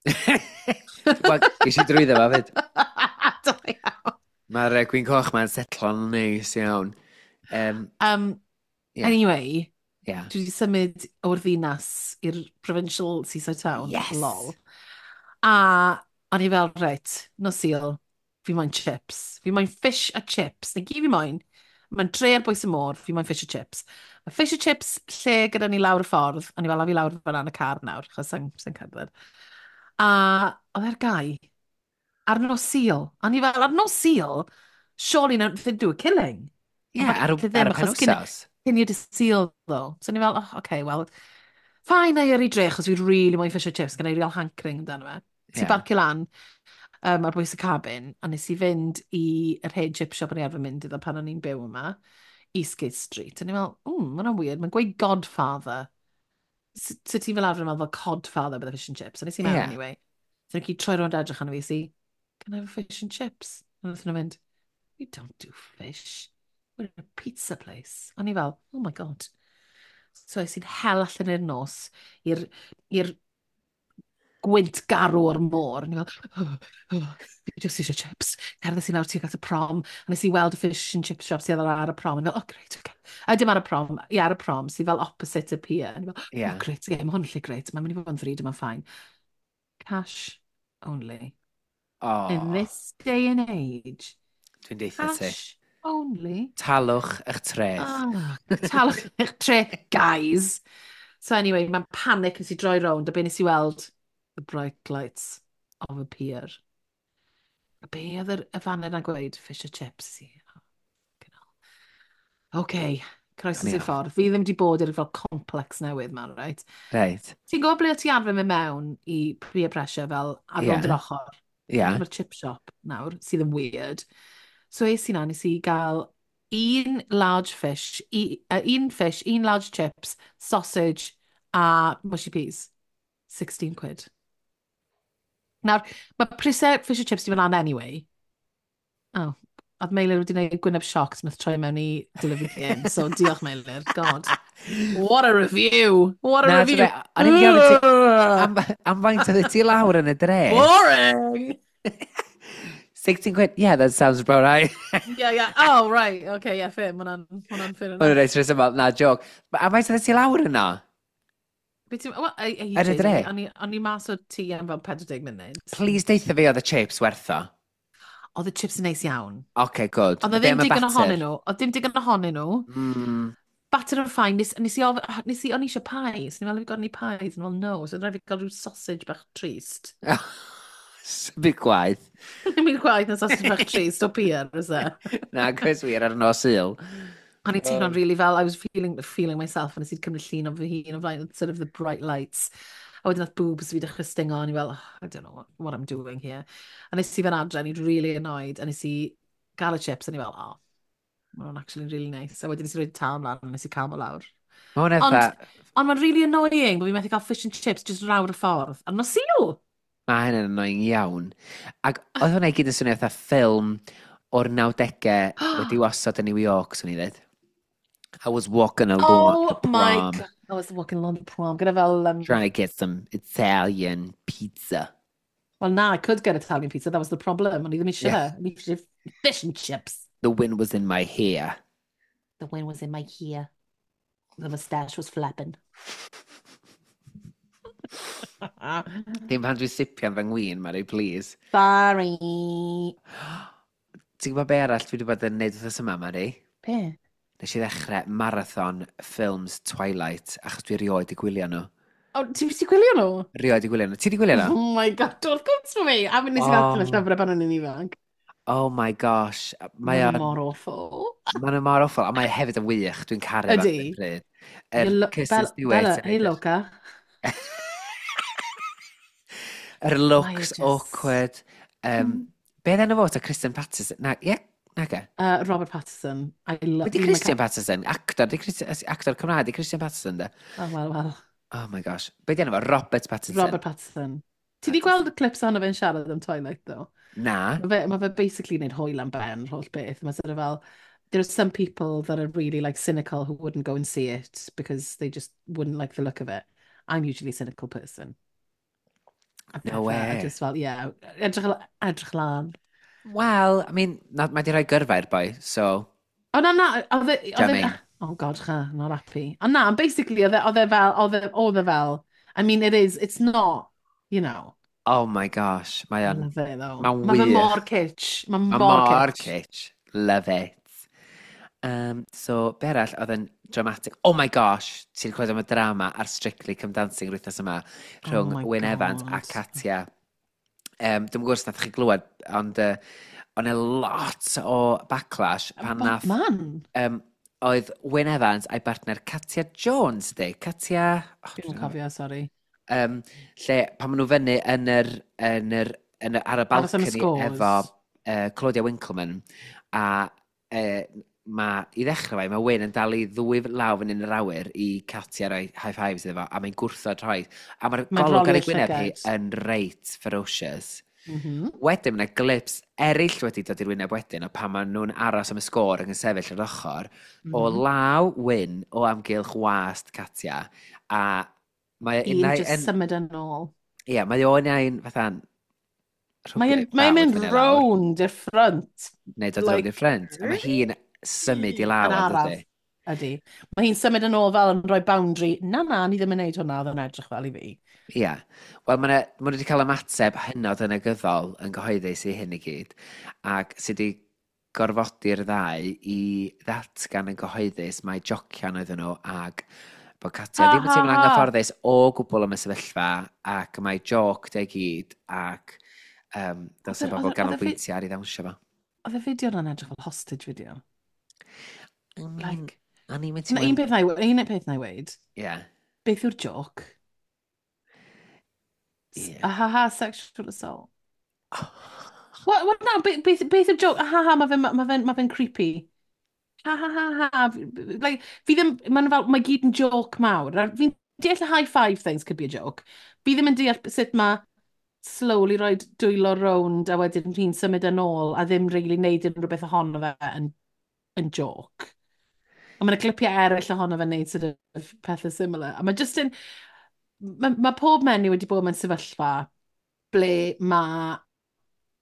Wel, ges i drwyddo fo fyd. Da iawn. Mae'r uh, gwin coch ma'n setlo'n neis iawn. Um, Um, yeah. Anyway, yeah. dwi wedi symud o'r ddinas i'r provincial seaside town. Yes! Lol. A o'n i fel, "Reit, nos Sul, fi moyn chips. Fi moyn fish a chips. Na gyd fi moyn. Mae'n dre ar bwys y môr, fi moyn fish a chips." Mae fish a chips lle gyda ni lawr y ffordd. O'n i fel, "A fi lawr fyna yn y car nawr, achos sa'n sa cerdded." A oedd e'r gau ar nos Sul. O'n i fel, "Ar nos Sul, surely no, they do a killing." Ie, yeah, ar, falle ddim, ar y achos cyn- penwsos. Cyn i'r Sul, though. So o'n i fel, "Oh, okay, well, fine, na i yrru dre, achos fi really moyn fish and chips, gen i real hankering amdano fe." Ti Ie. barcio lan um, ar bwys y cabin, a nes i fynd i yr hen chip shop o'n i arfer mynd iddo pan o'n i'n byw yma, Eastgate Street. A o'n i fel, "Mm, ma' hwnna'n weird, mae'n gweud Godfather. So so ti fel arfer yn meddwl fel Codfather bydd y fish and chips." A nes i mewn Ie. anyway. So nhw'n gyd troi rownd edrych arno fi, si, "Can I have a fish and chips?" A wnaethon nhw mynd, "We don't do fish. We're a pizza place." O'n i fel, "Oh my God." So es i'n hel allan i'r nos, i'r i'r gwynt garw o'r môr. O'n i fel, "Oh, oh, fi jyst eisiau chips." Cerdded i lawr tuag at y prom, a nes i weld y fish and chip shop sydd ar y prom. A o'n i fel, "Oh, great, okay." A dim ar y prom, ie, ar y prom, sydd fel opposite y pier. A o'n i fel, Ie. "Oh, great, okay, mae hwn yn lle great. Mae'n mynd i fod yn ddrud, mae'n fine." Cash only. O, In this day and age, dwi'n deutha ti. cash only. Talwch eich treth. Ah, talwch eich treth, guys. So anyway, mae'n panic nes i droi rownd, a be nes i weld? The bright lights of a pier. A be oedd yr y faner na'n gweud? "Fish and chips." I, oh, fucking hell. Okay, croeso O'n i i'r off. ffordd. Fi ddim wedi bod i'r fel complex newydd ma, right? Reit. Ti'n gwybod ble o ti arfer mynd mewn i peer pressure fel ar Ie. rownd yr ochr? Ie. Mae'r chip shop nawr, sydd yn weird. So es i na, nes i gael un large fish, i, uh, un fish, un large chips, sausage a mushy peas. sixteen quid. Nawr, mae prisau fish and chips di mynd lan anyway. Oh, oedd Meilir wedi gwneud gwyneb sioc nath troi mewn i delivery game. So diolch, Meilir, God. What a review! What a Na, review! ti'n be, o'n i'n gofyn ti, am, am faint oedd ti lawr yn y dre? Boring! sixteen quid? Yeah, that sounds about right. Yeah, yeah. Oh, right. Okay, yeah, fair. Ma' hwnna'n ma' hwnna'n fair Mae'n enough. reit rhesymol, na, joke. Am faint oedd ti lawr yno? Be ti'n... Wel, ei- ei, Ar y dre? O'n i- o'n i mas o tŷ am fel pedwar deg munud. Please deutha fi oedd y chips werth o. Oedd y chips yn neis iawn. Okay, good. Oedd e Be ddim am y digon batter? ohonyn nhw. Oedd dim digon ohonyn nhw. Mm, Batter yn fine, nes, nes i, of, nes i, o'n i eisiau pies, o'n i fel, "Have you got any pies?" And fel, "No," so rhaid fi gael rhyw sausage bach trist. Byd gwaith. Ddim yn gwaith na sausage bach trist o pier, is e? Na, cos wir ar nos Sul. O'n i'n teimlo'n really fel, I was feeling, feeling myself, a nes i'n cymryd llun o fy hun o flaen, sort of the bright lights. A wedyn nath boobs fi dechrau stingo, a o'n i fel, "Oh, I don't know what, what I'm doing here." A nes i fe'n adre, o'n i'n really annoyed, a nes i gael y chips, a o'n i fel, "Oh, ma' hwnna'n actually really nice." A wedyn nes i roi tân mlaen, a nes i cael mo lawr. Mae hwnna Ond, fatha, ond mae'n really annoying bod fi'n methu cael fish and chips just lawr y ffordd. A nos Sul! Mae hynny'n annoying iawn. Ac oedd hwnna i gyd yn swnio fatha ffilm o'r nawdegau wedi osod yn New York, swn i ddweud. I was walking along Oh the my prom, God. I was walking along the prom. Gyda fel... Um, trying to get some Italian pizza. Well, na, I could get Italian pizza. That was the problem. O'n i ddim eisiau Yeah. fe. O'n i eisiau fish and chips. The wind was in my hair. The wind was in my hair. The moustache was flapping. Ddim pan dwi'n sipian fy ngwin, Mari, please. Sorry. Ti'n gwybod be arall dwi wedi bod yn neud wythnos yma, Mari? Be? Nes i ddechrau marathon ffilms Twilight, achos dwi erioed 'di gwylio nhw. Oh, ti wedi gwylio nhw? Erioed 'di gwylio nhw. Ti wedi gwylio nhw? Oh my God, don't come to me. A mi nes i ddarllen y Oh. llyfrau pan o'n i'n ifanc. Oh my gosh. Mae Mae o'n... mor awful. Mae nhw mor awful, a mae hefyd yn wych. Dwi'n caru fo ar Ydy. y pryd. Yr You're lo- Kristen Bella, Stewart Bella, yn hey neud yr- Loca. Yr Mae e looks just- awkward. Um, Mm. Be oedd enw fo? Ta Kristen Patterson? Na, ie, na ge. Uh, Robert Pattinson. I love... Wedi Christian Patterson? Actor, di Christian, actor Cymraeg, di Christian Patterson, de? Oh, well, well. Oh my gosh. Be di enw fo? Robert Pattinson. Robert Pattinson. Ti di gweld y clips ohono fe'n siarad am Twilight, though? Na. Mae fe, ma fe basically wneud hwyl am ben, yr holl beth. Mae sort of fel, there are some people that are really like cynical who wouldn't go and see it because they just wouldn't like the look of it. I'm usually a cynical person. A No pethau, way. A just fel, yeah, edrych, edrych lan. Well, I mean, na, mae di rhoi gyrfa i'r boi, so. O na, na, oedd e... oedd e- Jamming. Oh God, cha, not happy. Ond na, basically, oedd e oedd e fel, oedd e, oedd e fel, I mean, it is, it's not, you know, Oh my gosh, mae I o'n. love it though. Mae'n Mae fe wych. mor kitsch. Mae Mae mor mor kitsch. kitsch. Love it. Um, so, be arall oedd yn dramatic? Oh my gosh, ti'n clywed am y drama ar Strictly Come Dancing yr wythnos yma rhwng Oh my Wyn Evans a God. Katia. Um, Dwi'n gwybod os nath chi glywed, ond uh, o'n e lot o backlash pan Bob nath. man. Um, oedd Wyn Evans a'i bartner Katia Jones, di? Katia... Oh, Dwi'n cofio, sorry. Um, lle pan maen nhw fyny yn yr, yn yr, yn yr, ar y Aros am y balcony scores. efo uh, Claudia Winkleman a uh, ma, i ddechrau fe, mae Wyn yn dal i ddwy law fyny yn yr awyr i Katia roi high fives iddo fo, a mae'n gwrthod rhoi. A mae'r Mae'n golwg ar ei rolio'r gwyneb hi llygad. yn reit ferocious. Mm -hmm. Wedyn, mae yna clips eraill wedi dod i'r wyneb wedyn o pan maen nhw'n aros am y sgôr ac yn sefyll ar ochr, mm -hmm. o Mhm. law Wyn o amgylch wast Katia, a mae Un unai just yn. symud yn ôl. Ie, mae o unai'n fatha'n Mae'n mae mynd rownd i'r ffrynt. Neu dod rownd like, i'r ffrynt. A mae hi'n symud i lawr, Yn yn araf. dydi? Ydy. Mae hi'n symud yn ôl fel yn rhoi boundary. Na, na, ni ddim yn neud hwnna, oedd yn edrych fel i fi. Ie. Wel, maen nhw wedi cael ymateb hynod yn negyddol yn gyhoeddus i hyn i gyd, ac sydd wedi gorfodi'r ddau i ddatgan yn gyhoeddus mai jocian oedden nhw ac bod Katia Ha, ddim yn ha, teimlo'n ha. anghyfforddus o gwbl am y sefyllfa ac mae joc 'di gyd ac um, dylse Oedd y- bobl oedd y- oedd y fi- ganolbwyntio ar ei ddawnsio fo. Oedd y fideo yna'n edrych fel hostage video. I mean, Like, o'n i'n mynd na, un peth na i, un peth na i weud, Ie. beth yw'r joc? Ie. A ha ha, sexual assault. What, what na, beth, beth, beth yw'r joc? A ha ha, mae fe'n ma fe, ma fe creepy. Ha ha ha ha. Like, fi ddim, mae'n fel, mae gyd yn joke mawr. A fi'n deall y high five things could be a joke. Fi ddim yn deall sut mae slowly rhoi dwylo rownd a wedyn hi'n symud yn ôl a ddim really neud unrhyw beth ohono fe yn, yn joke. A mae'n clipiau eraill ohono fe'n neud sort of pethau similar. A mae just yn... Mae, ma pob menyw wedi bod mewn sefyllfa ble mae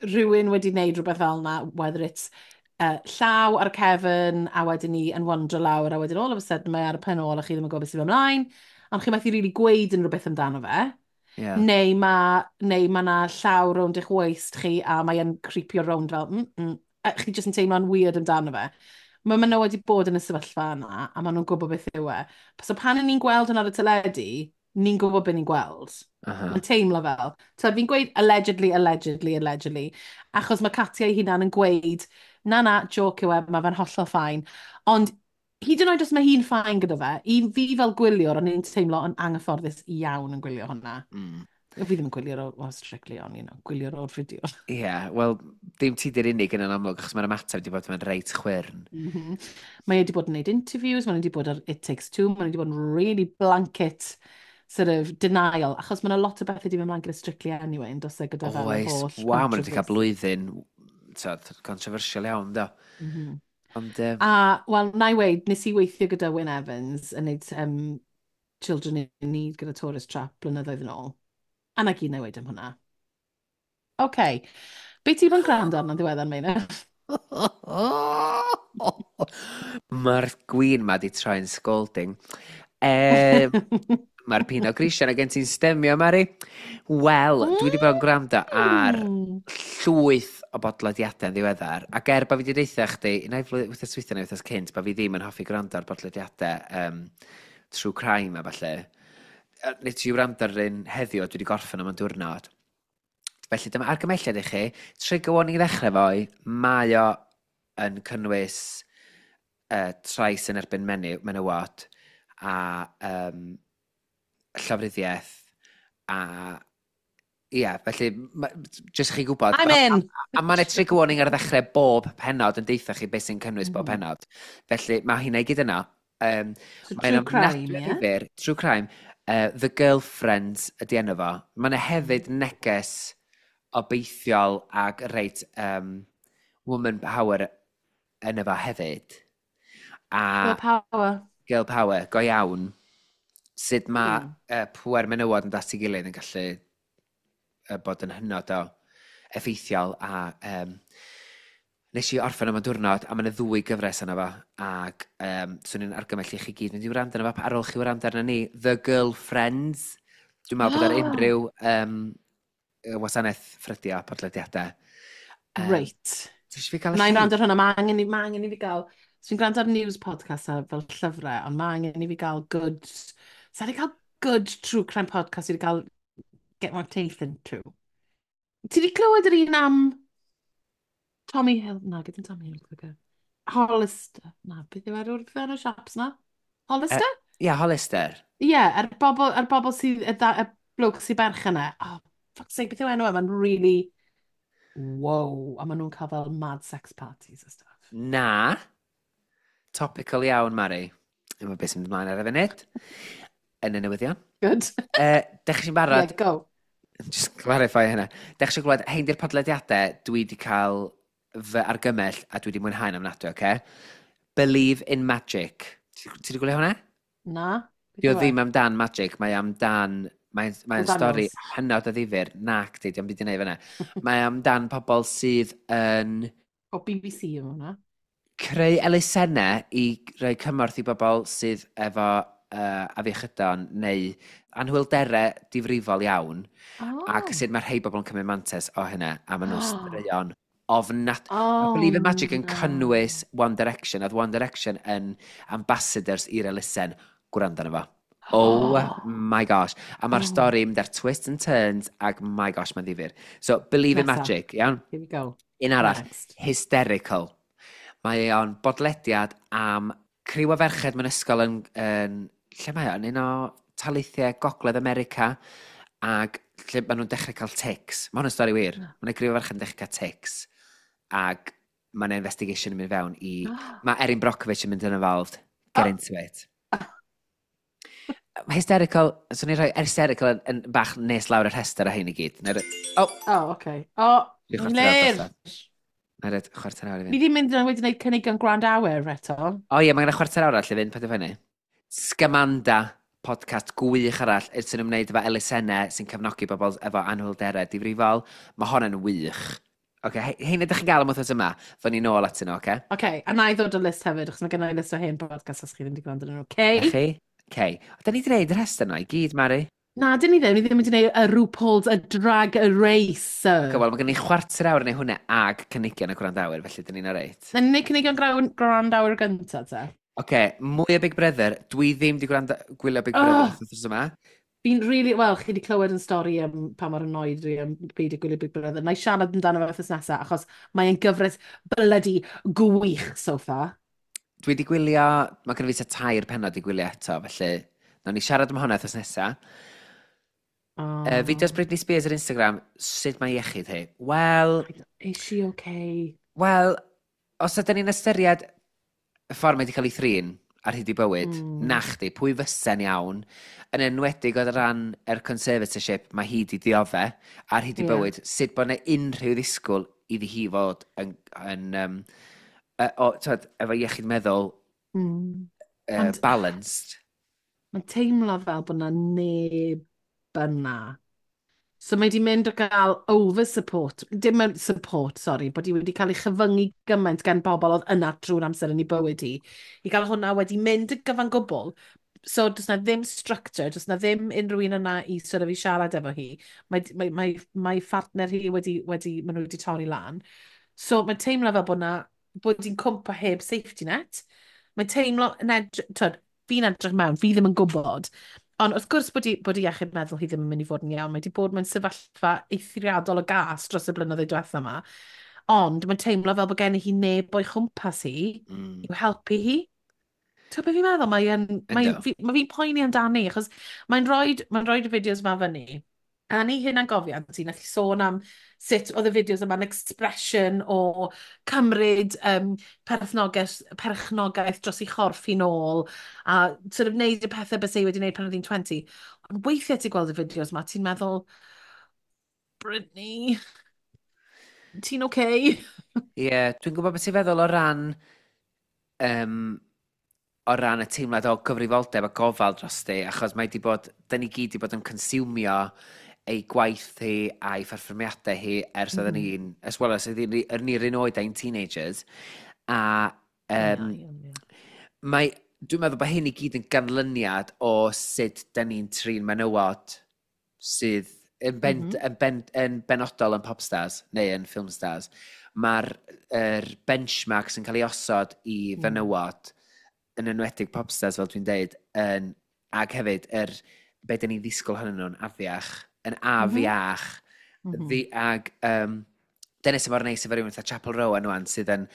rhywun wedi wneud rhywbeth fel yna, whether it's uh, llaw ar y cefn a wedyn ni yn wandro lawr a wedyn all of a sudden mae ar y pen ôl a chi ddim yn gwybod beth sydd ymlaen, ond chi methu really gweud unrhyw beth amdano fe. Ie. Neu mae neu ma 'na llaw rownd eich waist chi a mae e'n creepio rownd fel, mm, mm, a chi jyst yn teimlo'n weird amdano fe. Mae menywod wedi bod yn y sefyllfa yna, a maen nhw'n gwybod beth yw e. So pan ni'n gweld hwnna ar y teledu, ni'n gwybod beth ni'n gweld. Uh -huh. Mae'n teimlo fel. So fi'n gweud allegedly, allegedly, allegedly, achos mae Katia ei hunan yn gweud, na na, joke yw e, mae fe'n hollol fine. Ond hyd yn oed os mae hi'n fine gyda fe, i fi fel gwyliwr, o'n i'n teimlo yn anghyfforddus iawn yn gwylio hwnna. Mm. Fi ddim yn gwylio'r o, o Strictly, ond, you know, gwylio'r o'r fideo. Ie, yeah, wel, dim ti di'r unig yn yn amlwg, achos mae'r ymateb wedi bod yn reit chwyrn. Mm -hmm. Mae wedi bod yn gwneud interviews, mae wedi bod ar It Takes Two, mae wedi bod yn really blanket sort of denial, achos mae yna lot o bethau wedi mynd mlaen gyda Strictly anyway, yn dos e gyda fel yr Oes, holl waw, maen nhw wedi cael controversy. blwyddyn, tod, controversial iawn, do. Mm -hmm. Ond, um, A, wel, na i weud, nes i weithio gyda Wyn Evans yn neud um, Children in Need gyda Tourist Trap blynyddoedd yn ôl. A na gyd na i weud am hwnna. OK. Be ti bod yn gwrando arno'n ddiweddar, Meina? Mae'r gwin ma di troi'n scalding. Um, Mae'r Pinot Grigio na gen ti'n stemio, Mari. Wel, dwi wedi bod yn gwrando ar Mm. llwyth o bodlediadau yn ddiweddar. Ac er bod fi wedi deutha chdi, un ai flwy- wythnos dwytha neu wythnos cynt, bod fi ddim yn hoffi gwrando ar bodlediadau um, true crime a falle. Nes i wrando ar un heddiw a dwi wedi gorffen am y diwrnod. Felly dyma argymelliad i chi. Trigger warning i ddechrau foi, mae o yn cynnwys uh, trais yn erbyn menyw, menywod a um, llofruddiaeth a ia, felly ma- jyst i chi gwybod. I'm A, in! a, a mae yna trigger warning ar ddechrau bob pennod yn deutha chi beth sy'n cynnwys bob Mhm. pennod. Felly mae hynna i gyd yno. Um, So Mae'n true crime, ofnadwy o ie? ddifyr. True crime. Uh, The Girlfriends ydy enw fo. Mae yna hefyd neges obeithiol ag reit um, woman power yn efo hefyd. A Girl power. girl power, go iawn. Sut mae Mm. uh, pwer menywod yn dod at ei gilydd yn gallu uh, bod yn hynod o effeithiol a um, nes i orffen am y diwrnod a mae yna ddwy gyfres yna fo ac um, swn i'n argymell i chi gyd mynd i wrando arno fo ar ôl chi wrando arno ni The Girlfriends. Dwi'n meddwl bod ar unrhyw um, wasanaeth ffrydio podlediadau. Um, Reit. Ti eisiau fi gael y Na i llinc? wrando ar hwnna, mae angen, i- ma angen i fi gael... So fi'n gwrando ar news podcast a fel llyfrau, ond mae angen i fi gael good... Sa i cael good true crime podcast i gael get my teeth into. Ti di clywed yr un am Tommy Hill? Na, gyda Tommy Hill. Okay. Hollister. Na, beth yw enw'r enw'r shops na? Hollister? Ie, yeah, Hollister. Ie, yeah, er bobl, er bobl sydd, y, da, y bloke sy'n berchen e. Oh, fuck's sake, beth yw enw e? Mae'n really... Wow. A maen nhw'n cael fel mad sex parties a stuff. Na. Topical iawn, Mari. Yma beth sy'n mynd ymlaen ar y funud. Yn y newyddion. Good. Uh, Dech chi'n barod? Yeah, go. Just clarify hynna. Dech chi'n gwybod, hein di'r podlediadau dwi wedi cael fy argymell a dwi wedi mwynhau'n ofnadwy, oce? Okay? Believe in Magic. Ti ti wedi gwylio hwnna? Na? Beth Dio yw e? ddim amdan magic, mae amdan... Mae'n mae Paul stori Daniels. hynod o ddifyr. Nac di, dio'm byd i wneud fyna. Mae amdan pobl sydd yn O B B C yw hwnna. Creu elusennau i roi cymorth i bobl sydd efo uh, afiechydon neu anhwylderau difrifol iawn. Oh. Ac sut mae rhai bobl yn cymryd mantais o hynna, a maen nhw'n straeon ofnad. Oh, Mae Believe in Magic yn na. cynnwys One Direction. Oedd One Direction yn ambassadors i'r elusen. Gwrando arno fo. Oh my gosh. A mae'r Oh. stori yn mynd ar twists and turns, ac my gosh, mae'n ddifyr. So, Believe in Nesa. Magic, iawn? Here we go. Un arall, Next. Hysterical. Mae o'n bodlediad am criw o ferched mewn ysgol yn, yn lle mae o? Yn un o taleithiau Gogledd America, ac lle maen nhw'n dechrau cael tics. Mae hwn yn stori wir. Na. Mae'n criw o ferched yn dechrau cael tics, ac mae'n investigation yn mynd fewn i... Mae Erin Brockovich yn mynd yn involved. Get Oh. into it. Mae Hysterical, swn i'n rhoi Hysterical yn, yn bach nes lawr y rhestr a hyn i gyd. Neu, oh, Oh, okay. Oh, Dwi chwarter awr Lir! drosodd. Na'i roid chwarter awr i Ni fynd. ddim mynd yn wedi gwneud cynigion gwrandawyr eto. O ie, mae gen i chwarter awr arall i fynd, paid â phoeni. Scamanda, podcast gwych arall sy'n ymwneud efo elusennau sy'n cefnogi bobl efo anhwylderau difrifol. Mae hon yn wych. Oce, okay, hein ydych chi'n gael am wythnos yma, ddod ni nôl atyn nhw, oce? Okay, a na i ddod o list hefyd, achos mae gen i list o hen podcast os chi ddim wedi gwrando arnyn nhw. Okay? Okay? Chi? Okay. Da ni wedi gwneud y rhestr yna i gyd, Mari. Na, dyn ni ddim. Ni ddim wedi gwneud y RuPaul's a Drag Race. Okay, wel, mae gen i chwarter awr neu hwnna ag cynigion y gwrandawyr, felly dyn ni'n oreit. Na ni'n gwneud cynigion gwrandawyr gyntaf, te. Oce, okay, mwy o Big Brother. Dwi ddim wedi gwrando gwylio Big Brother oh, wythnos yma. Fi'n really, wel, chi wedi clywed yn stori am pa mor annoyed dwi am beidio gwylio Big Brother. Na i siarad amdano fe wythnos nesaf, achos mae'n gyfres bloody gwych so far. Dwi wedi gwylio, mae gen i fi tua tair pennod i gwylio eto, felly nawn ni siarad am hwnna wythnos nesaf. Oh. Uh, fideos Britney Spears ar Instagram, sut mae iechyd hi? Wel... Is she okay? Wel, os ydyn ni'n ystyried y ffordd mae wedi cael ei thrin ar hyd ei bywyd, mm. na chdi, pwy fysa'n iawn, yn enwedig o ran yr conservatorship mae hi di diodde ar hyd ei yeah. bywyd, sut bod yna unrhyw ddisgwyl iddi hi fod yn, yn um, uh, o, twyd, efo iechyd meddwl mm. uh, Ond, balanced. Mae'n teimlo fel bod yna neb yna. So mae di mynd o gael over-support, dim yn support, sorry, bod hi wedi cael ei chyfyngu gymaint gan bobl oedd yna drwy'r amser yn ei bywyd hi, i gael hwnna wedi mynd yn gyfan gwbl. So does na ddim structure, does na ddim unrhyw un yna i sort of i siarad efo hi. Mae, mae, mae, mae phartner hi wedi, wedi, maen nhw wedi torri lan. So mae'n teimlo fel bod na, bod hi'n cwmpa heb safety net. Mae'n teimlo, yn edrych, twyd, fi'n edrych mewn, fi ddim yn gwybod. Ond wrth gwrs bod i, bod i iechyd meddwl hi ddim yn mynd i fod yn iawn. Mae wedi bod mewn sefyllfa eithriadol o gas dros y blynyddoedd diwetha yma. Ond mae'n teimlo fel bod gen i hi neb o'i chwmpas hi mm. i'w helpu hi. Ti'n beth fi'n meddwl? Mae'n, mae, fi, mae fi'n poeni amdani, achos mae'n rhoi mae'n rhoi y fideos yma fyny. A ni hynna'n gofiant i, nath i sôn am sut oedd y fideos yma'n expression o cymryd um, perchnogaeth, perchnogaeth dros ei chorff hi nôl a sort of wneud y pethau bys ei wedi wneud pan oedd hi'n twenty. Ond weithiau ti'n gweld y fideos yma, ti'n meddwl, Britney, ti'n okay? Ie, yeah, dwi'n gwybod beth ti'n feddwl o ran um, o ran y teimlad o gyfrifoldeb a gofal dros di, achos mae di bod, da ni gyd di bod yn consumio ei gwaith hi a'i pherfformiadau hi ers mm. oedden ni'n, as well as oedden ni'r un oed ein teenagers. A um, yeah, yeah, yeah. mae, dwi'n meddwl bod hyn i gyd yn ganlyniad o sut da ni'n trin menywod sydd yn, ben, mm -hmm. yn, ben, yn benodol yn popstars neu yn filmstars. Mae'r er benchmark sy'n cael ei osod i mm. fenywod, yn enwedig popstars fel dwi'n deud, yn, ac hefyd yr, be dyn ni'n ddisgwyl hynny nhw'n afiach, yn afiach. Mm -hmm. Ddi, ag um, dyna sy'n mor neis efo rhywun fatha Chappell Roan wan sydd yn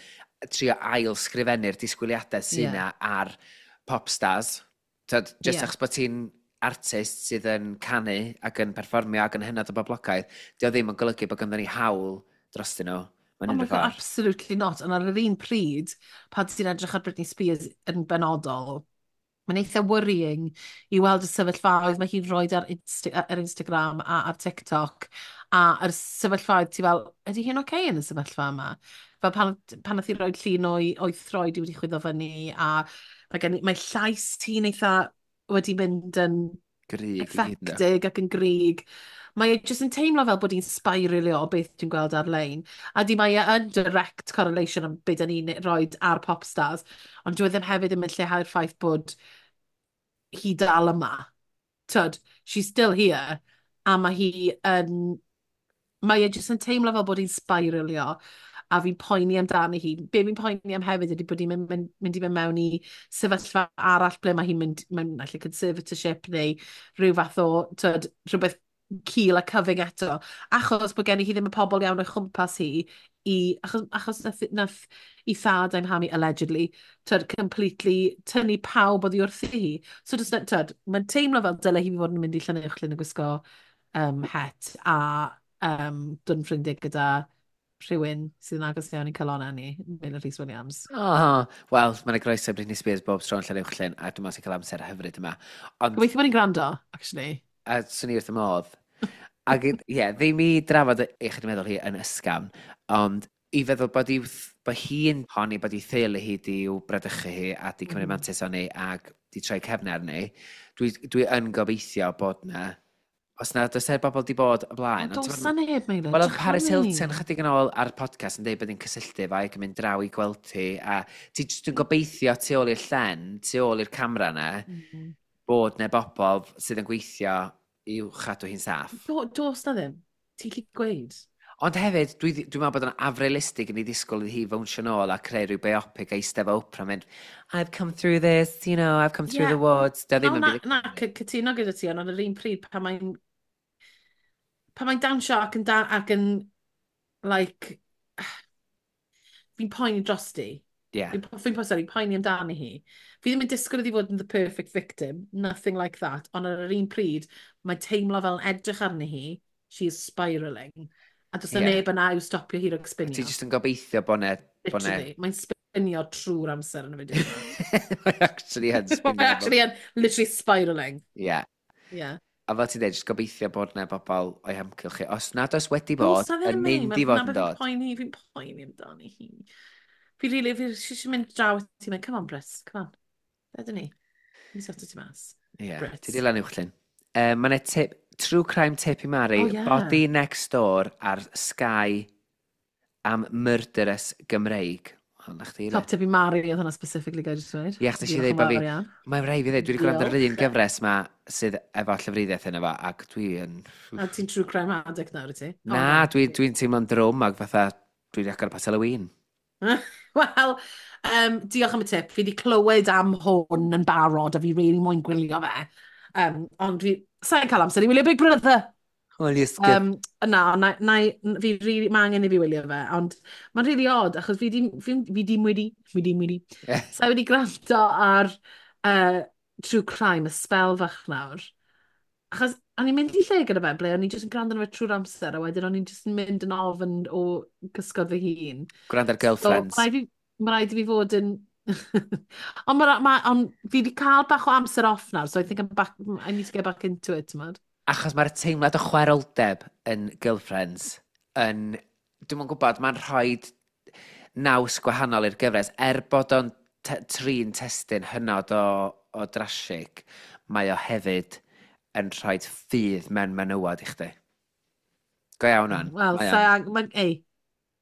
trio ail sgrifennu'r disgwyliadau sydd yeah. ar popstars. Tyd, just yeah. achos bod ti'n artist sydd yn canu ac yn perfformio ac yn hynod o boblogaidd, dio ddim yn golygu bod ganddo ni hawl drostyn nhw. Oh my God, absolutely not. Ond ar yr un pryd, pan ti'n edrych ar Britney Spears yn benodol, mae'n eitha worrying i weld y sefyllfaoedd mae hi'n rhoi ar, Insta ar Instagram a ar TikTok, a yr sefyllfaoedd ti fel, ydy hi'n oce okay yn y sefyllfa yma? Fel pan, pan nath hi roi llun o'i, o'i throed i wedi chwyddo fyny, a mae, gen, mae llais ti'n eitha wedi mynd yn grig, affectig ac yn grig. Mae e jyst yn teimlo fel bod hi'n spiralio o beth dwi'n gweld ar-lein. A di mae e yn direct correlation am beth da ni'n rhoi ar popstars, ond dwi ddim hefyd yn mynd lleihau'r ffaith bod hi dal yma. Tyd, she's still here, a mae hi yn... Mae e jyst yn teimlo fel bod hi'n spiralio, a fi'n poeni amdani hi. Be fi'n poeni am hefyd ydy bod hi'n mynd, mynd, mynd i fynd mewn i sefyllfa arall ble mae hi'n mynd mewn naill conservatorship neu rhyw fath o, tyd, rhywbeth cul a cyfyng eto, achos bod gen i hi ddim y pobl iawn o'i chwmpas hi, i, achos, achos nath, nath i thad a'i mham hi, allegedly, tyd, completely tynnu pawb oddi wrthi hi. So, just, tyd, mae'n teimlo fel dyle hi fod yn mynd i Llanuwchllyn yn gwisgo um, het a um, dod yn ffrindiau gyda rhywun sydd yn agos iawn i'n calonnau ni, Meilir Rhys Williams. Oh, wel, mae'n groeso Britney Spears bob tro yn Llanuwchllyn, a dwi'n meddwl sy'n cael amser hyfryd yma. Ond... Gobeithio bod ni'n gwrando, actually. A swn i wrth y modd. Ac ie, yeah, ddim i drafod eich meddwl hi yn ysgafn, ond i feddwl bod, i'w, bod hi'n honni bod ei theulu hi di i'w bradychu hi a di cymryd mm. mantais o'n ac di troi cefn arni, dwi, dwi yn gobeithio bod na, os na, does er bobl di bod o blaen. Ond does na neb, Meilir. Wel, oedd Paris Hilton chydig yn ôl ar y podcast yn dweud bod hi'n cysylltu fo ac yn mynd draw i gweld hi, a ti jyst yn gobeithio tu ôl i'r llen, tu ôl i'r camera na, mm. bod na bobl sydd yn gweithio I'w chadw hi'n saff. Do, dos na ddim. Ti'n gallu gweud. Ond hefyd, dwi'n dwi meddwl bod yn afrealistig i ni ddisgwyl iddi hi fownsio nôl a creu rhyw biopic a eistedd efo Oprah mynd, "I've come through this, you know, I've come through Yeah. the woods." Dio ddim O, yn na, byd. Na, cy- cytuno gyda ti, ond ar yr un pryd, pan mae'n pan mae'n dawnsio ac yn, da, ac yn like, fi'n poeni dros di. Yeah. Fi'n fi'n po- sorry, poeni amdani hi. Fi ddim yn disgwyl iddi fod yn the perfect victim, nothing like that, ond ar yr un pryd, mae'n teimlo fel yn edrych arni hi, she is spiralling. A does na Ie. neb yna i'w stopio hi rhag spinio. Ti jyst yn gobeithio bod ne... Bod ne... Literally, mae'n spinio trwy'r amser yn y fideo yma. Mae actually yn spinio. Mae'n actually yn literally spiralling. Yeah. Yeah. A fel ti'n dweud, jyst gobeithio bod na bobl o'i hamgylch chi. Os nad oes wedi bod, Does na yn ddim, mate. mynd i Ma- fod na yn be' fi'n dod. Poeni, fi'n poeni amdani hi. Fi really, fi eisiau mynd draw ti, mynd, "Come on, Brit, come on. Ydyn ni. Fi sorto ti mas." Ie, Brits. ti di lan uwchlyn. Um, Mae yna tip, true crime tip i Mari, Oh, yeah. Body Next Door ar Sky am murderess Gymreig. O, na chdi, le. Top tip i Mari, oedd hwnna specifically gael jyst dweud. Ie, achos nes i Diolch ddeud yn bo' fi- fawr iawn. Mae'n rhaid fi ddweud, dwi wedi gwrando ar yr un Diolch. gyfres ma sydd efo llofruddiaeth yna fo, ac dwi yn... A ti'n true crime addict nawr, wyt ti? O, Na, dwi'n dwi teimlo'n drwm ac fatha dwi wedi agor y potel o win. Wel, um, diolch am y tip. Fi wedi clywed am hwn yn barod a fi really moyn gwylio fe. Um, ond fi, sa'n cael amser i wylio Big Brother. Wel, ysgydd. Um, na, na, na, fi really, mae angen i fi wylio fe, ond mae'n really odd, achos fi di, fi, fi dim wedi, fi dim wedi. Ie. Sa i wedi gwrando ar uh, True Crime, y spel fach nawr. Achos o'n i'n mynd i lle gyda fe, ble o'n i'n just yn gwrando arno fe trwy'r amser, a wedyn o'n i'n just yn mynd yn ofn o cysgod fy hun. Gwrando ar So, Girlfriends. ma' raid fi, ma' raid i fi fod yn... Ond ma, ma, on, fi wedi cael bach o amser off nawr, so I think I'm back, I need to get back into it, ti'n Achos mae'r teimlad o chwaeroldeb yn Girlfriends yn... Dwi'm yn gwybod, mae'n rhoi naws gwahanol i'r gyfres. Er bod o'n te trin testyn hynod o, o drasig, mae o hefyd yn rhoi ffydd mewn menywod i chdi. Go iawn o'n. Wel, Mae sa o'n. ang- ma, ei,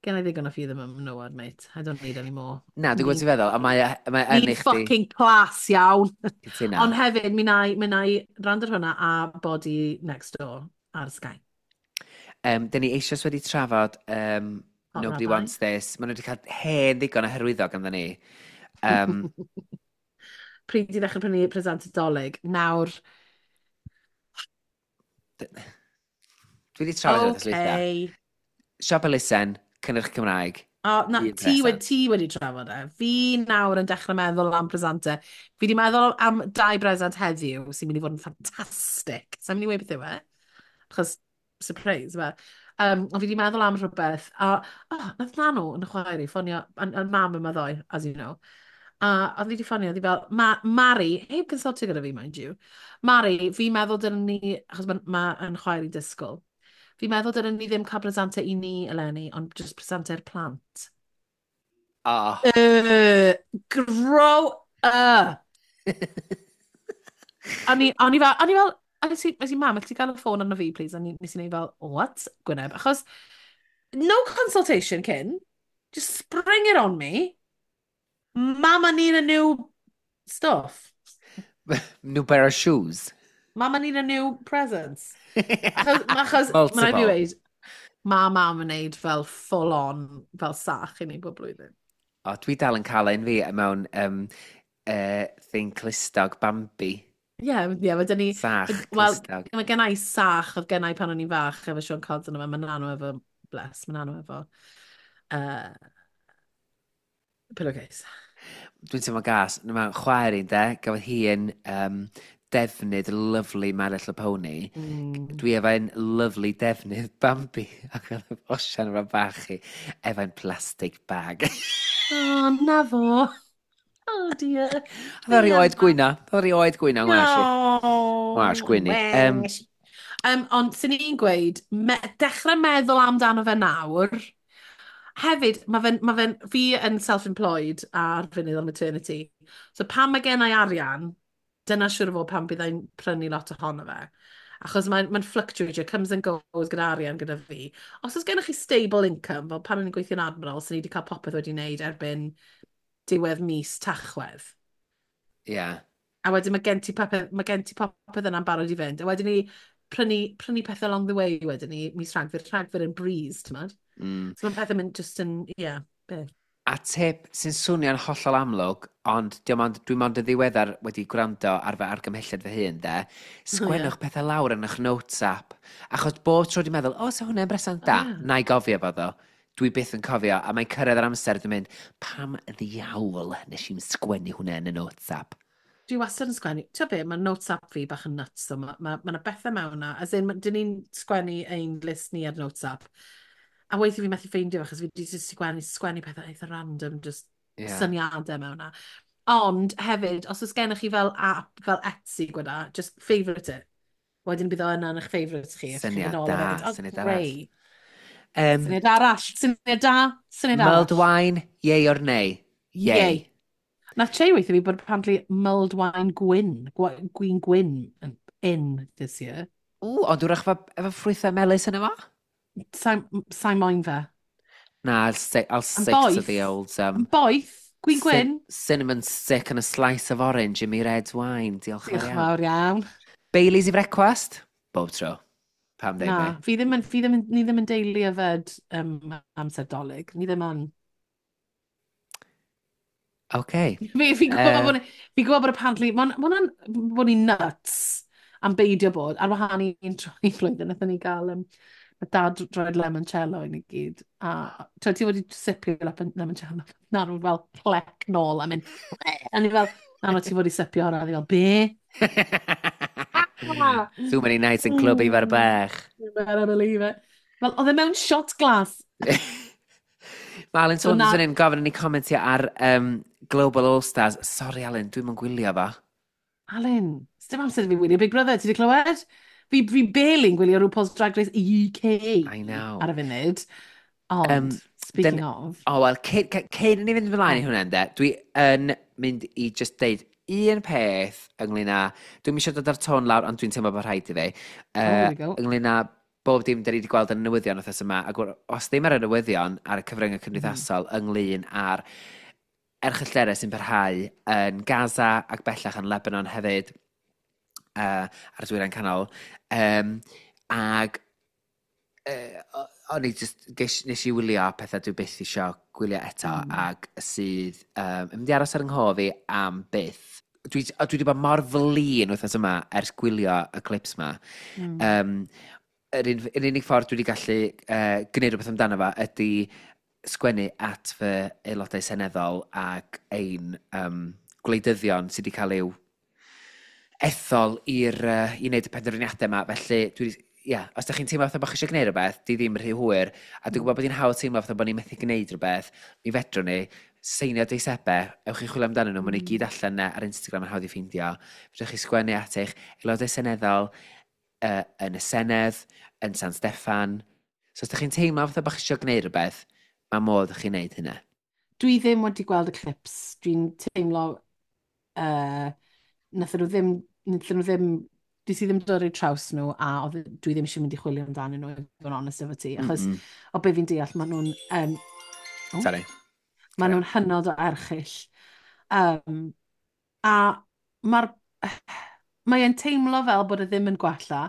gen i ddigon o ffydd yn menywod, mate. I don't need any more. Na, dwi'n gwybod ti'n feddwl, a mae, o- mae yn Ni'n i chdi. fucking class iawn. Cytuno. Ond hefyd, mi na i, mi na i rand ar hwnna a Body Next Door ar Sky. Um, Dyn ni eisoes wedi trafod um, Hot Nobody Rabbi. Wants This. Maen nhw wedi cael hen ddigon o hyrwyddo ganddo ni. Um, Pryd i ddechrau prynu present Dolig. Nawr, Dwi wedi trafod okay. Dwytha. okay. Siop Elusen, cynnyrch Cymraeg. O, na, Un ti, wedi, present. ti wedi trafod e. Fi nawr yn dechrau meddwl am presentau. Fi wedi meddwl am dau bresant heddiw sy'n mynd i fod yn ffantastig. Sa'n mynd i weud beth yw e? Achos, surprise, fe. Um, ond fi wedi meddwl am rhywbeth. A, oh, nath Nanw yn y chwaer i ffonio, yn, yn mam yma ddoe, as you know. A oedd hi wedi ffonio, oedd hi fel, Ma, "Mari," heb consultio gyda fi, mind you. "Mari, fi'n meddwl dylen ni," achos mae ma yn chwaer i disgwyl, "fi'n meddwl dylen ni ddim cael presentau i ni eleni, ond just presentau'r plant." Oh. Uh, grow up! O'n i, o'n i fel, o'n i fel, a nes i, nes i, "Mam, alli ti gael y ffôn arno fi, please?" A ni- nes i neud fel, "What?" Gwyneb. Achos, no consultation cyn. Just spring it on me. Mama need a new stuff. New pair of shoes. Mama need a new presents. Achos, achos mae'n rhaid fi Multiple. weud, ma mam yn neud fel full on, fel sach i ni bob blwyddyn. O, dwi dal yn cael un fi mewn um, uh, thing clustog Bambi. Ie, yeah, yeah, mae dyn ni. Sach Wel, clustog. mae gen i sach oedd gen i pan o'n i'n fach efo Siôn Corn yma, mae Nanw efo, bless, mae Nanw efo uh, pillowcase. Dwi'n teimlo gas. Mae chwaer i'n de, gafodd hi yn um, defnydd lovely My Little Pony. Mm. Dwi efo'n lovely defnydd Bambi. Ac oedd Osian efo bach i efo'n plastic bag. Oh, na fo. Oh dear. Oedd o rioed gwyno. Oedd o rioed gwyno ngwas i. No. Ngwas gwyni. Um, Um, ond sy'n ni'n gweud, me dechrau meddwl amdano fe nawr. Hefyd, mae fe'n, ma fe'n, fi yn self-employed ar funud ar maternity. So pan mae gen i arian, dyna siŵr o fod pan byddai'n prynu lot ohono fe. Achos mae'n mae fluctuate, comes and goes gyda arian gyda fi. Os oes gennych chi stable income, fel pan o'n i'n gweithio'n Admiral, sy'n ni wedi cael popeth wedi wneud erbyn diwedd mis Tachwedd. Yeah. A wedyn mae gen ti popeth, mae gen ti popeth yna'n barod i fynd. A wedyn ni, prynu, prynu pethau along the way wedyn ni, mis Rhagfyr, Rhagfyr yn breeze, ti'n modd? Mm. So mae pethau mynd just yn, ie, yeah, be. A tip sy'n swnio'n hollol amlwg, ond diom ond, dwi'n mond yn ddiweddar wedi gwrando ar fy argymhelliad fy hun, de. Sgwennwch Ie. pethau lawr yn eich notes app. Achos bob tro dwi'n meddwl, o, so hwnna'n bresant da. O, ie. Na i gofio fo ddo. Dwi byth yn cofio, a mae'n cyrraedd yr amser, dwi'n mynd, pam ddiawl nes i'n sgwennu hwnna yn y notes app? Dwi wastad yn sgwennu. Ti'n be, mae notes app fi bach yn nuts, so mae ma, ma 'na bethau mewn na. As in, ma- dyn ni'n sgwennu ein list ni ar notes app. A weithie fi methu ffeindio fe, achos fi wedi just sgwennu, sgwennu pethau eitha random, just Yeah. syniadau mewn na. Ond hefyd, os oes gennych chi fel app, fel Etsy gweda, just favourite it. Wedyn bydd o yna yn eich favourites chi. A chi'n Syniad mynd nôl da, a hefyd. Oh, syniad arall. greu. Um, Syniad arall, syniad da, syniad mulled arall. wine, yay or nay? Yay. Yay. Nath Che weithio fi bod apparently mulled wine gwyn, gwa- gwin gwyn yn in this year. Ww, ond wrach efo, efo ffrwythau melys yn efo? Sa'n sa moyn fe. Na, I'll stick, I'll stick to boeth. the old... Um, Yn boeth, gwin gwyn. Cinnamon stick and a slice of orange in me red wine. Diolch yn Diolch fawr iawn. fawr iawn. Baileys i frecwast? Bob tro. Pam ddim Na, fi. fi ddim yn, fi ddim yn, ni ddim yn deulu yfed um, amser Dolig. Ni ddim yn. OK. Fi, fi'n gwybod Yy. bod, fi'n gwybod bod apparently, mae'n ma hwnna'n bod ni'n nuts am beidio bod, ar wahân i un tro i flwyddyn, wnaethon ni gael um, ma dad droed limoncello i ni gyd. A t'wod, ti wedi sipio lemon- limoncello. Na, nhw'n fel clec nôl a mynd, a ni fel, na, no, ti wedi sipio hwnna. A ni fel, be? Too many nights in Club Ifor Bach. You better believe it. Wel, oedd e mewn shot glass. Mae Alan So Saunders na- yn un gofyn i ni comentio ar um, Global All Stars. Sorry, Alan, dwi'n mynd gwylio fo. Alan, dim amser i fi wylio Big Brother, ti wedi clywed? Fi, fi barely'n gwylio RuPaul's Drag Race U K I know. ar y funud. Ond, Um, speaking dyn- of. O, wel, cyn, cyn- cyn i ni fynd ymlaen i hwnna, ynde, dwi yn mynd i just deud un peth ynglyn â. Dwi'n eisiau dod ar tôn lawr, ond dwi'n teimlo bod rhaid i fi. Oh, here we go. Ynglyn â bob dim da ni wedi gweld yn y newyddion wythnos yma, ac os ddim ar y newyddion, ar y cyfryngau cymdeithasol, mm. ynglyn â'r erchyllterau sy'n parhau yn Gaza ac bellach yn Lebanon hefyd, uh, ar y Dwyrain Canol. Um, ag uh, o'n i just, ges, nes i wylio pethau dwi byth isio gwylio eto mm. ac sydd um, yn mynd i aros ar yng nghof fi am byth. Dwi, o, dwi wedi bod mor flin wythnos yma ers gwylio y clips ma. Mm. Um, yr, un, yr unig ffordd dwi wedi gallu uh, gwneud rhywbeth amdano fo ydy sgwennu at fy aelodau seneddol ac ein um, gwleidyddion sydd wedi cael eu ethol i'r, uh, i wneud y penderfyniadau yma. Felly, dwi wedi, ia, os ydych chi'n teimlo fatha bod chi eisiau gwneud rhywbeth, di ddim rhy hwyr, a dwi'n gwybod bod hi'n hawdd teimlo fatha bod ni'n methu gwneud rhywbeth, mi fedrwn ni seinio deisebau, ewch i chwilio amdanyn nhw, mm. maen nhw i gyd allan yna ar Instagram yn hawdd i ffeindio. Fedrwch chi sgwennu at eich aelodau seneddol uh, yn y Senedd, yn San Steffan. So os ydych chi'n teimlo fatha bod chi eisiau gwneud rhywbeth, mae modd i chi wneud hynna. Dwi ddim wedi gweld y clips. Dwi'n teimlo, Uh, nathon nhw ddim... Nathon nhw ddim... Dwi si ddim dod i'r traws nhw a oedd, dwi ddim eisiau mynd i chwilio amdanyn nhw, i fod yn honest efo ti. Achos Mm -mm. o be fi'n deall, maen nhw'n... Um, oh, Sorry. Maen nhw'n hynod o erchyll. Um, a mae'r... Mae e'n teimlo fel bod e ddim yn gwella,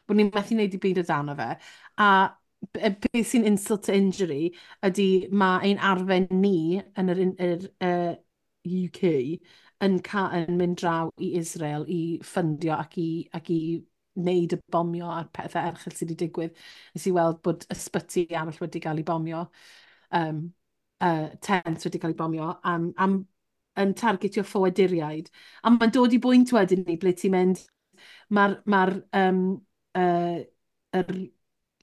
bod ni'n methu wneud i byd o dano fe. A b- beth sy'n insult to injury ydy mae ein arfer ni yn yr, yr, uh, U K yn, ca, yn mynd draw i Israel i ffundio ac i, ac i wneud y bomio a'r pethau erchyll sydd wedi digwydd. Nes i weld bod ysbyty arall wedi cael ei bomio, um, uh, tent wedi cael ei bomio, am, am, yn targetio ffoaduriaid. A mae'n dod i bwynt wedyn ni ble ti'n mynd, mae'r ma um, uh, yr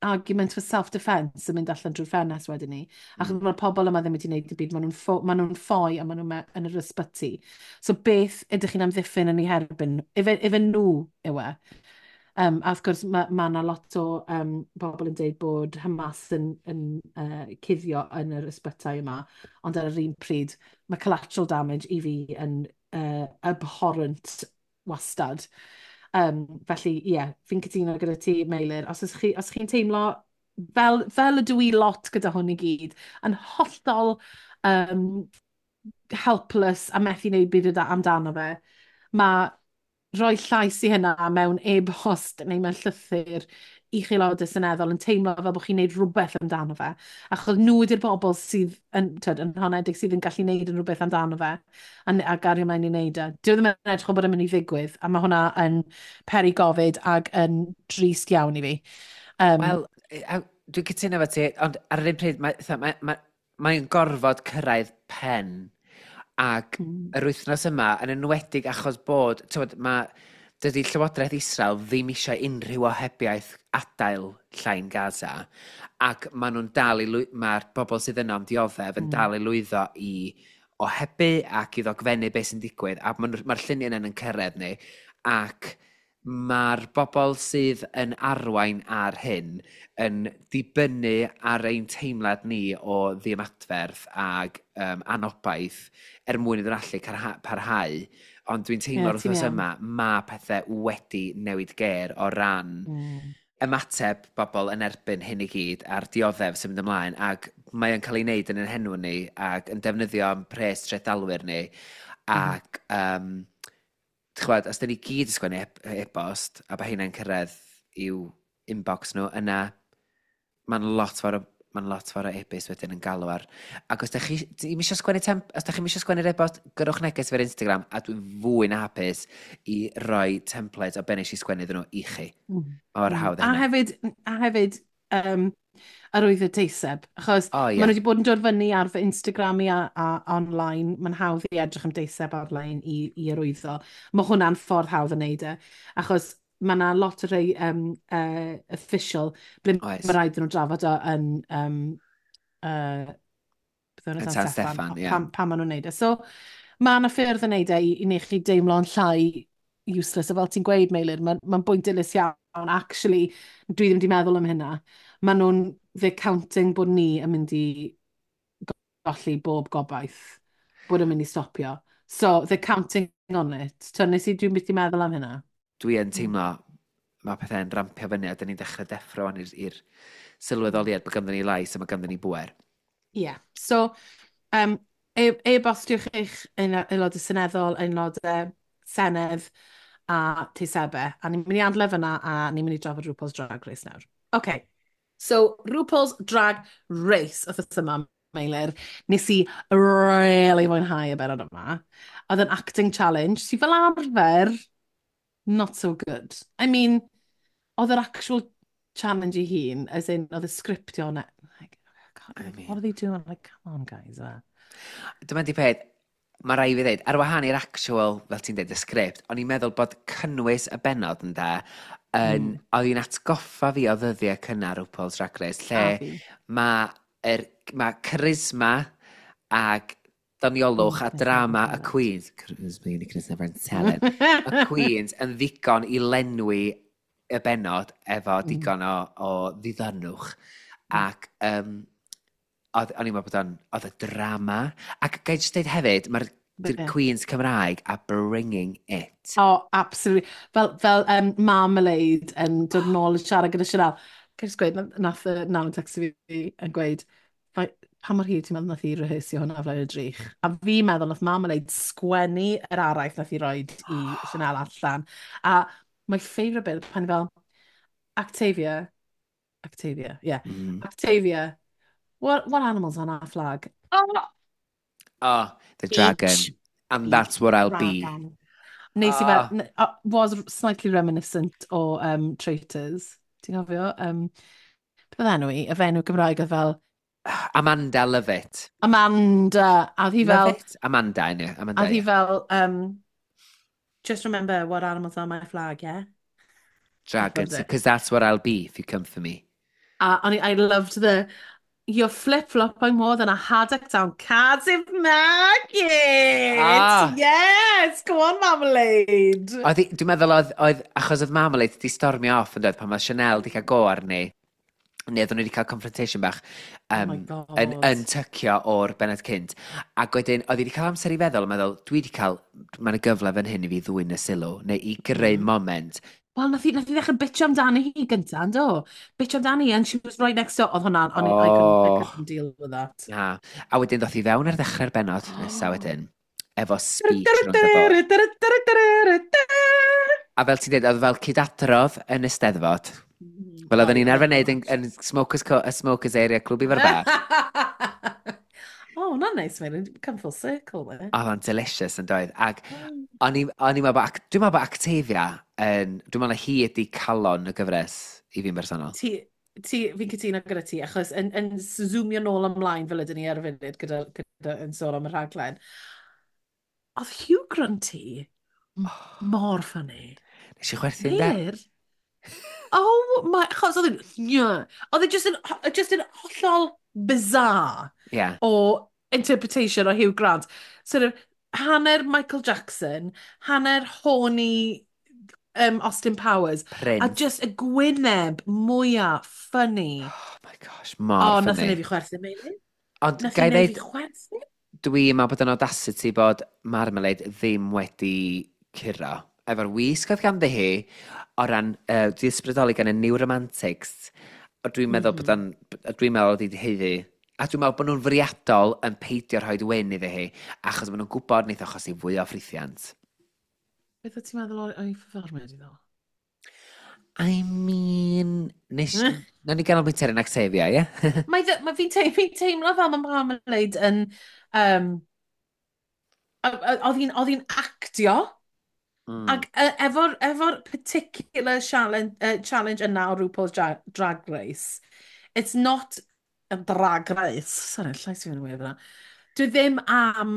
argument for self-defence yn mynd allan drwy'r ffenest wedyn ni. Achos mm. mae'r pobl yma ddim wedi gwneud y byd, maen nhw'n ffo, ma nhw ffoi a maen nhw yn yr ysbyty. So beth ydych chi'n amddiffyn yn ei herbyn? Ife, ife nhw yw e? Um, a wrth gwrs mae ma yna lot o um, bobl yn dweud bod Hamas yn, yn uh, cuddio yn yr ysbytai yma, ond ar yr un pryd mae collateral damage i fi yn uh, abhorrent wastad. Um, felly, ie, yeah, fi'n cytuno gyda ti, Meilir. Os, ys chi, os chi'n teimlo, fel, fel ydw i lot gyda hwn i gyd, yn hollol um, helpless a methu wneud byd amdano fe, mae Rhoi llais i hynna mewn e-bost neu mewn llythyr i chi aelodau seneddol yn teimlo fel bod chi'n neud rhywbeth amdano fe. Achos nhw ydy'r bobl sydd yn, tyd, yn honedig sydd yn gallu neud yn rhywbeth amdano fe a, a gario mlaen i wneud e. Dyw e ddim yn edrych o bod yn mynd i ddigwydd, a mae hwnna yn peri gofid ac yn drist iawn i fi. Um, Wel, dwi'n cytuno efo ti, ond ar yr un pryd, mae'n mae, mae, mae gorfod cyrraedd pen. Ac mm. yr wythnos yma, yn enwedig achos bod, tywed, mae, dydy Llywodraeth Israel ddim eisiau unrhyw ohebiaeth adael llain Gaza, ac maen nhw'n dal i, mae'r bobl sydd yno am dioddef yn mm. dal i lwyddo i ohebu ac i ddogfennu beth sy'n digwydd, a mae'r ma lluniau yna'n yn cyrraedd ni, ac mae'r bobl sydd yn arwain ar hyn yn dibynnu ar ein teimlad ni o ddiymadferth ag um, anobaith er mwyn iddyn allu parhau. Ond dwi'n teimlo'r yeah, wythnos yma, mae pethau wedi newid ger o ran mm. ymateb bobl yn erbyn hyn i gyd a'r dioddef sy'n mynd ymlaen, ac mae o'n cael ei wneud yn ein henw ni ac yn defnyddio am pres trethdalwyr ni mm. ac um, chwad, os dyn ni gyd yn sgwennu e-bost a bod hynna'n cyrraedd i'w inbox nhw, yna mae'n lot fawr o mae'n lot fawr o e-bost wedyn yn galw ar. Ac os da chi ddim eisiau sgwennu temp, os da chi eisiau sgwennu'r e-bost, gyrrwch neges fe'r Instagram a dwi'n fwy na hapus i roi template o be nes i sgwennu iddyn nhw i chi. Mm. Mor mm. hawdd A hefyd, a hefyd um, arwyddo deiseb, achos oh, yeah. maen nhw wedi bod yn dod fyny ar fy Instagram i a, a online, mae'n hawdd i edrych am deiseb ar-lein i, i arwyddo. Mae hwnna'n ffordd hawdd yn neud e, achos mae yna lot o rei um, uh, official, ble mae rhaid nhw drafod o yn um, uh, yn San Steffan, yeah. pam, pam maen nhw'n neud e. So, mae yna ffyrdd yn neud e i, i wneud chi deimlo'n llai useless. A fel ti'n gweud, Meilir, mae'n ma bwynt dilys iawn. Actually, dwi ddim wedi meddwl am hynna. Maen nhw'n, they're counting bod ni yn mynd i golli bob gobaith, bod yn mynd i stopio. So, they're counting on it. So, nes i, dwi'n byth i meddwl am hynna. Dwi yn teimlo mae pethau'n rampio fyny a dyn ni'n dechrau deffro i'r sylweddoliad bod ganddo ni lais a mae ganddo ni bwer. Ie. Yeah. So, um, e-bostiwch eich aelodau seneddol, aelodau senedd a teisebau. A ni'n mynd i adle fyna a ni'n mynd i drafod RuPaul's Drag Race nawr. OK. So, RuPaul's Drag Race wythnos yma, Meilir, nes i really mwynhau y benod yma. Oedd yn acting challenge sydd fel arfer not so good. I mean, oedd yr actual challenge i hun, as in, oedd y sgriptio yna. Like, oh God, I mean, what are they doing? Like, come on, guys. Uh. Dyma di peth, mae rai fi ddeud, ar wahân i'r actual, fel ti'n dweud, y sgript, o'n i'n meddwl bod cynnwys y benod yn da, yn, mm. oedd hi'n atgoffa fi o ddyddiau cynnar RuPaul's Drag Race, lle mae er, ma charisma ag doniolwch a drama y Queens, charisma, uniqueness, never talent, y Queens yn ddigon i lenwi y benod efo mm. digon o, o ddiddanwch. Mm. Ac um, oedd, o'n i'n meddwl bod o'n, oedd y drama. Ac gai jyst dweud hefyd, mae'r Queens Cymraeg a bringing it. Oh, absolutely. Fel, fel um, Marmalade yn dod nôl i siarad gyda Chanel. Gai jyst gweud, nath y Naw text fi yn gweud, pa mor hir ti'n meddwl nath i rehearsio hwnna flaen y drych? A fi'n meddwl nath Marmalade sgwennu yr araith nath i roed i Chanel allan. A my favourite bit, pan fel, Octavia, Octavia, yeah, mm. Octavia, what, what animal's on our flag? Oh, oh the dragon. Beach. And that's what I'll dragon. Be. Nes i fel, oh. was slightly reminiscent o um, Traitors. Ti'n cofio? Um, beth oedd enw i? Y fenw Gymraeg oedd fel Amanda Lovett. Amanda. A hi fel Lovett? Amanda, yna. Amanda, a hi fel, um, just remember what animals are my flag, yeah? Dragons, because that's what I'll be if you come for me. A uh, I loved the, you're flip-flopping more than a haddock down Cardiff Market! Ah. Yes! Go on, Marmalade! Oedd, dwi'n meddwl oedd, oedd, achos oedd Marmalade di stormio off yn dweud pan mae Chanel di cael go arni, neu oedden nhw wedi cael confrontation bach um, oh yn, yn tycio o'r benod cynt. Ac wedyn, oedd hi wedi cael amser i feddwl, yn meddwl, dwi wedi cael, mae'n y gyfle fan hyn i fi ddwyn y sylw, neu i greu mm. moment. Wel, nath hi, nath hi ddechrau bitch amdani hi gynta, yndo? Bitch amdani, and she was right next to... Oedd hwnna, oh. I, couldn't, I couldn't deal with that. Na. A wedyn ddoth hi fewn ar ddechrau'r benod oh. nesaf wedyn, efo speech rownd y bord. A fel ti'n dweud, oedd fel cydadrodd yn y Steddfod. Mm, Fel oedden oedd, ni'n arfer oedd wneud yn, yn Smokers, Co y Smokers Area Clwb Ifor Bach. Oh, hwnna'n neis, mae'n come full circle, we. Oedd o'n delicious yn doedd. Ac o'n i- o'n i'n meddwl bod, ac- dwi'n meddwl bod Octavia yn, dwi'n meddwl na hi ydi calon y gyfres i fi'n bersonol. Ti, ti, fi'n cytuno gyda ti, achos yn, yn zoomio nôl ymlaen fel ydyn ni ar y funud gyda, gyda yn sôn am y rhaglen. Oedd Hugh Grunty mor funny. Nes i chwerthin de? Meilir? Oh my, achos oedd e'n, yeah. Oedd e just yn, just yn hollol bizarre Ie. o interpretation o Hugh Grant. Sort of, hanner Michael Jackson, hanner horny um, Austin Powers, Prince. a just y gwyneb mwyaf funny. Oh my gosh, mor O, nath funny. e neud fi chwerthin, Meilir. Ond Nath gai e neud ddeud, fi chwerthin. dwi'n meddwl bod yn audacity bod Marmalade ddim wedi curo. Efo'r wisg oedd ganddi hi, o ran, uh, di ysbrydoli gan y New Romantics, o dwi'n meddwl bod o'n, dwi'n meddwl oedd hi 'di haeddu. A dwi'n meddwl bod nhw'n fwriadol yn peidio rhoi win iddi hi, achos maen nhw'n gwybod wneith achosi fwy o ffrithiant. Beth o ti'n meddwl o'i o'i pherfformiad i ddo? I mean, nes, nawn ni ganolbwyntio ar yn Octavia, ie? Mae, dde- mae fi'n teimlo, fi teimlo fel mae Marmalade yn... Um, oedd hi'n oedd hi'n actio, Mm. ac uh, efo'r efo particular challenge, uh, challenge yna o RuPaul's Drag, Drag Race, it's not a drag race. Sorry, llais fi'n weird fyna. Dwi ddim am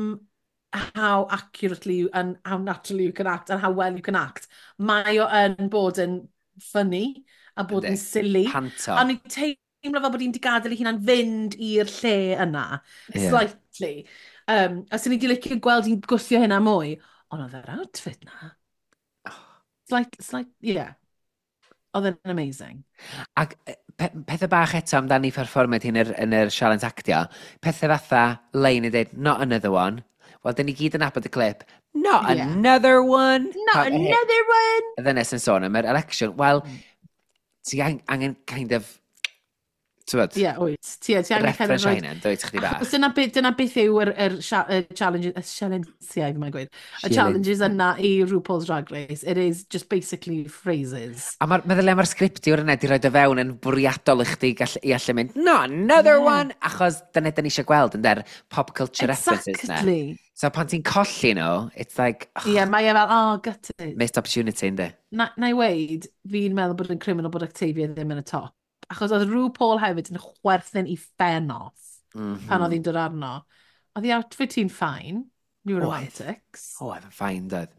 how accurately you, and how naturally you can act and how well you can act. Mae o yn bod yn funny a bod yn Yndi. silly. Panto. A ni'n teimlo fel bod hi'n di gadael ei hunan fynd i'r lle yna, Ie. slightly. Um, a sy'n ni di licio gweld hi'n gwthio hynna mwy. Ond oedd yr outfit na. Slight, slight, yeah. Oedd e'n amazing. Ac yy, pe pethau bach eto amdani perfformiad hi'n yr, yn yr sialens actio, pethau fatha lein i dweud, "Not another one." Wel, dyn ni gyd yn nabod y clip. "Not Yeah. another one!" Not Pa- another one! Y ddynes yn sôn am yr election. Wel, Mm. ti ang angen kind of, ti'n Ie, wyt. Ti, ti angen kind of reference o rhoid- hynna, dwyt chdi bach. Achos dyna, beth, dyna beth yw yr, yr, sia- y challenge, y sialensiau, fi mae'n gweud. Y Challenge. challenges yna i RuPaul's Drag Race. It is just basically phrases. A mae'r meddwl am yr sgriptiwr yna di roed o fewn yn bwriadol i chdi gall, i allu mynd, "No, another Yeah. one!" Achos dyna dyn ni eisiau gweld yn der pop culture references na. Exactly. So pan ti'n colli nhw, it's like, oh, Ie, yeah, mae e fel, "Oh, gutted." Missed opportunity, yndi? Na, na i weid, fi'n meddwl bod yn criminal bod Octavia ddim yn y top. Achos oedd RuPaul hefyd yn chwerthin i ffen off Mm -hmm. pan oedd hi'n dod arno. Oedd hi outfit hi'n fine. New Oedd. Romantics. O, oedd yn fine, doedd.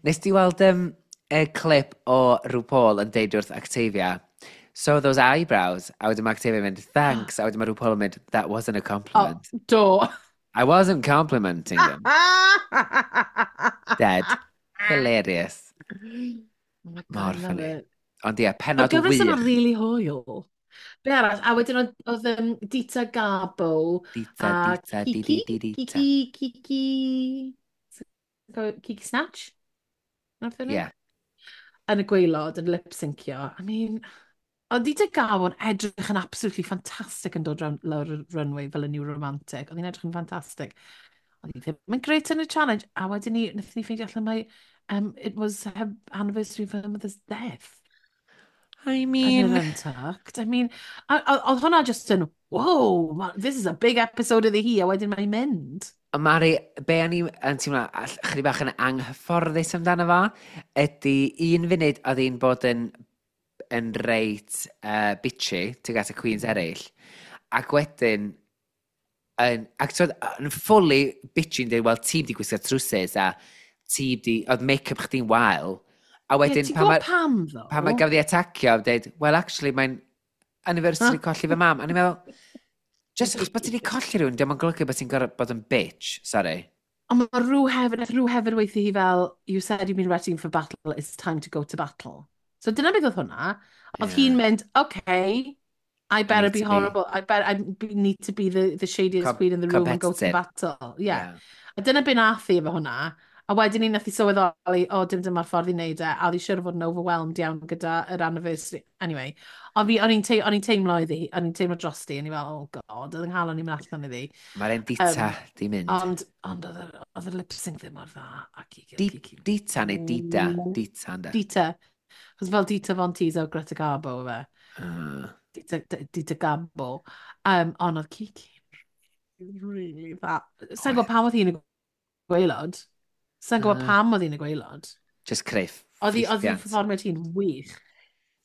Nes ti weld um, y clip o RuPaul yn deud wrth Octavia, "So those eyebrows," a wedyn mae Octavia yn mynd, "Thanks," a wedyn mae RuPaul yn mynd, "That wasn't a compliment." Oh, do. "I wasn't complimenting them." Dead. Hilarious. Oh my God, Mor I love funny. it. Ond ie, Oedd penod gyfres yma wych. really hwyl. Be arall? A wedyn oedd, oedd um, Dita Garbo Dita, a Dita, di, Kiki, di, di, Dita. Kiki, Kiki, Kiki Snatch? Nath Ie. yeah. Yn y gwaelod, yn lip-syncio. I mean, oedd Dita Garbo yn edrych yn absolutely fantastic yn dod round lawr y runway fel y New Romantic. Oedd hi'n edrych yn fantastic. Oedd hi ddim yn great yn y challenge. A wedyn ni, wnaethon ni ffeindio allan mai, um, it was her anniversary of her mother's death. I Yn mean, yr Untucked. I mean, a- a- oedd hwnna just yn, "Whoa, ma- this is a big episode iddi hi," a wedyn mae'n mynd. Ond Mari, be o'n i yn teimlo all- chydig bach yn anghyfforddus amdano fo, ydy un funud oedd hi'n bod yn, yn reit uh, bitchy tuag at y queens eraill, ac wedyn, yn, ac twyd, yn fully bitchy yn dweud, "Wel, ti di gwisgo trwsus a ti di, oedd make-up chdi'n wael," a Ie, wedyn ti'n pan gwybod mae pam, ddo? pan mae gafodd ei atacio, dweud, "Well, actually, mae'n anniversary colli fy mam." A ni'n meddwl, just achos bod ti wedi colli rhywun, dio'm yn golygu bod ti'n gorfod bod yn bitch, sorry. Ond mae rhyw hefyd, nath rhyw hefyd weithio hi fel, "You said you've been ready for battle, it's time to go to battle." So dyna beth oedd hwnna. Oedd Ie. hi'n mynd, "Okay, I better need be to be- horrible. I better, I be- need to be the, the shadiest Com- queen in the room and go to competitive. battle." Yeah. A dyna be nath hi efo hwnna. A wedyn ni nath hi sylweddoli, "O, dim dyma'r ffordd i wneud e." A oedd hi siŵr o fod yn overwhelmed iawn gyda yr anniversary. Anyway, Ond fi, o'n i'n tei, o'n i'n teimlo iddi, o'n i'n teimlo drosti, o'n i fel, oh God, oedd yng nghalon i'n mynd allan iddi. Mae'r un Dita um, di mynd. Ond, ond oedd yr, oedd yr lip sync ddim mor dda. Ac i, Di, Dita neu Dida? Dita, ynddo? Dita. Chos fel Dita Von Teese o Greta Garbo, fe. Uh. Dita, Dita Garbo. Um, ond oedd Kiki really dda. Sa'n gwybod pam oedd hi'n y gwaelod. Sa'n gwybod uh. pam oedd hi'n y gwaelod. Just creu Oedd hi, oedd hi'n perfformiad hi'n wych.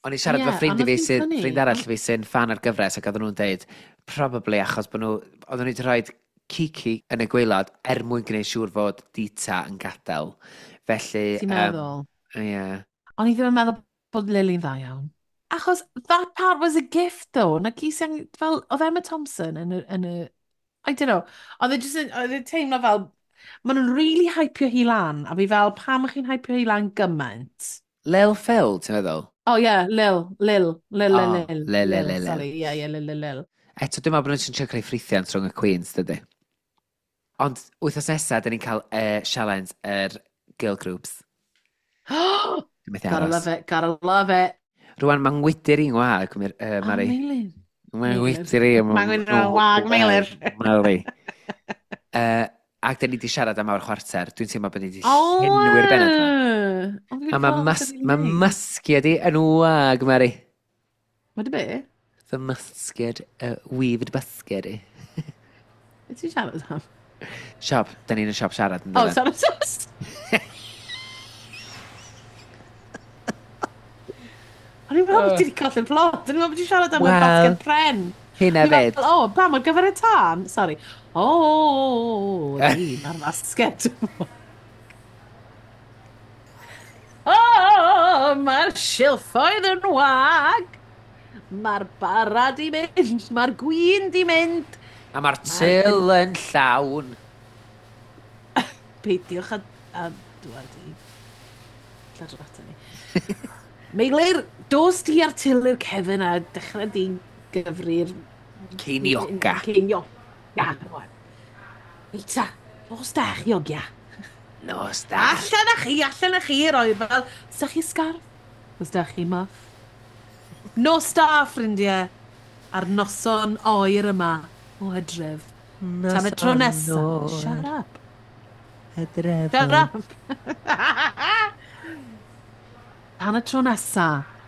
O'n i'n siarad Ie, efo ffrind ond i fi oedd hi'n sydd, funny. ffrind arall fi sy'n fan ar gyfres ac oedden nhw'n deud, probably achos bod nhw, oedden nhw wedi rhoi Kiki yn y gwaelod er mwyn gwneud siŵr fod Dita yn gadael. Felly... Ti'n meddwl? Ie. Yeah. O'n i ddim yn meddwl bod Lily'n dda iawn. Achos that part was a gift though. Na gys ang, fel, oedd Emma Thompson yn y, yn y I don't know, oedd e just yn, oedd e'n teimlo fel, maen nhw'n really hypio hi lan, a fi fel, pam ych chi'n hypio hi lan gymaint? Lil Phil, ti'n meddwl? Oh yeah, Lil, Lil, Lil, Oh, Lil, Lil, Lil, Lil, Lil. Sorry, yeah, yeah, Lil, Lil, Lil. Eto, dwi'n meddwl bod nhw'n trio creu ffrithiant rhwng y Queens, dydy. Ond wythnos nesaf, dyn ni'n cael uh, challenge yr girl groups. Dwi'n methu Gotta aros. love it, gotta love it. Rwan, mae'n ngwydyr i'n wag, uh, Oh, Mari. Meilir. Mae'n Meilir. ngwydyr i. Mae'n ngwydyr i'n wag, Meilir. Mari. Uh, ac dyn ni wedi siarad am awr chwarter. Dwi'n teimlo bod ni wedi Oh, llenwi'r bennod yma. A mae mas, ma musgiad i yn wag, Mari. Mae dy be? Fy musgiad, uh, weaved basged i. Be ti'n siarad am? Siop, da ni'n y siop siarad yn Oh, dydyn. sorry, sorry. O'n i'n meddwl bod ti wedi colli'r plot. O'n i'n meddwl bod ti'n siarad am y Wel, basged pren. Hynna O'n i fyd. fel, O, pam, ar gyfer y tân? Sorry. O, di, mae'r basged. O, mae'r silffoedd yn wag. Mae'r bara di mynd, mae'r gwin di mynd. A mae'r til yn llawn. Peidiwch a, a dwad i lladrata ni. Meilir, dos di ar til i'r cefn a dechrau di gyfri'r... Ceiniogau. Ceiniogau. Reit ta, nos da chi ogia. Nos da. Allan â chi, allan â chi, roi fel... Os da chi sgarf? Os da chi muff? Nos da, ffrindiau, ar noson oer yma o hydref. Tan y tro nesaf. Shut up. Hydref. Shut up. Tan y tro nesa.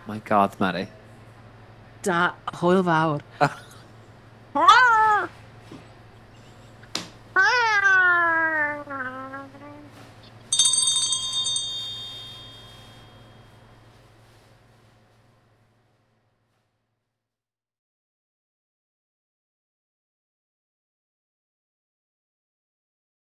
My God, Mari. Da, hwyl fawr. Ah!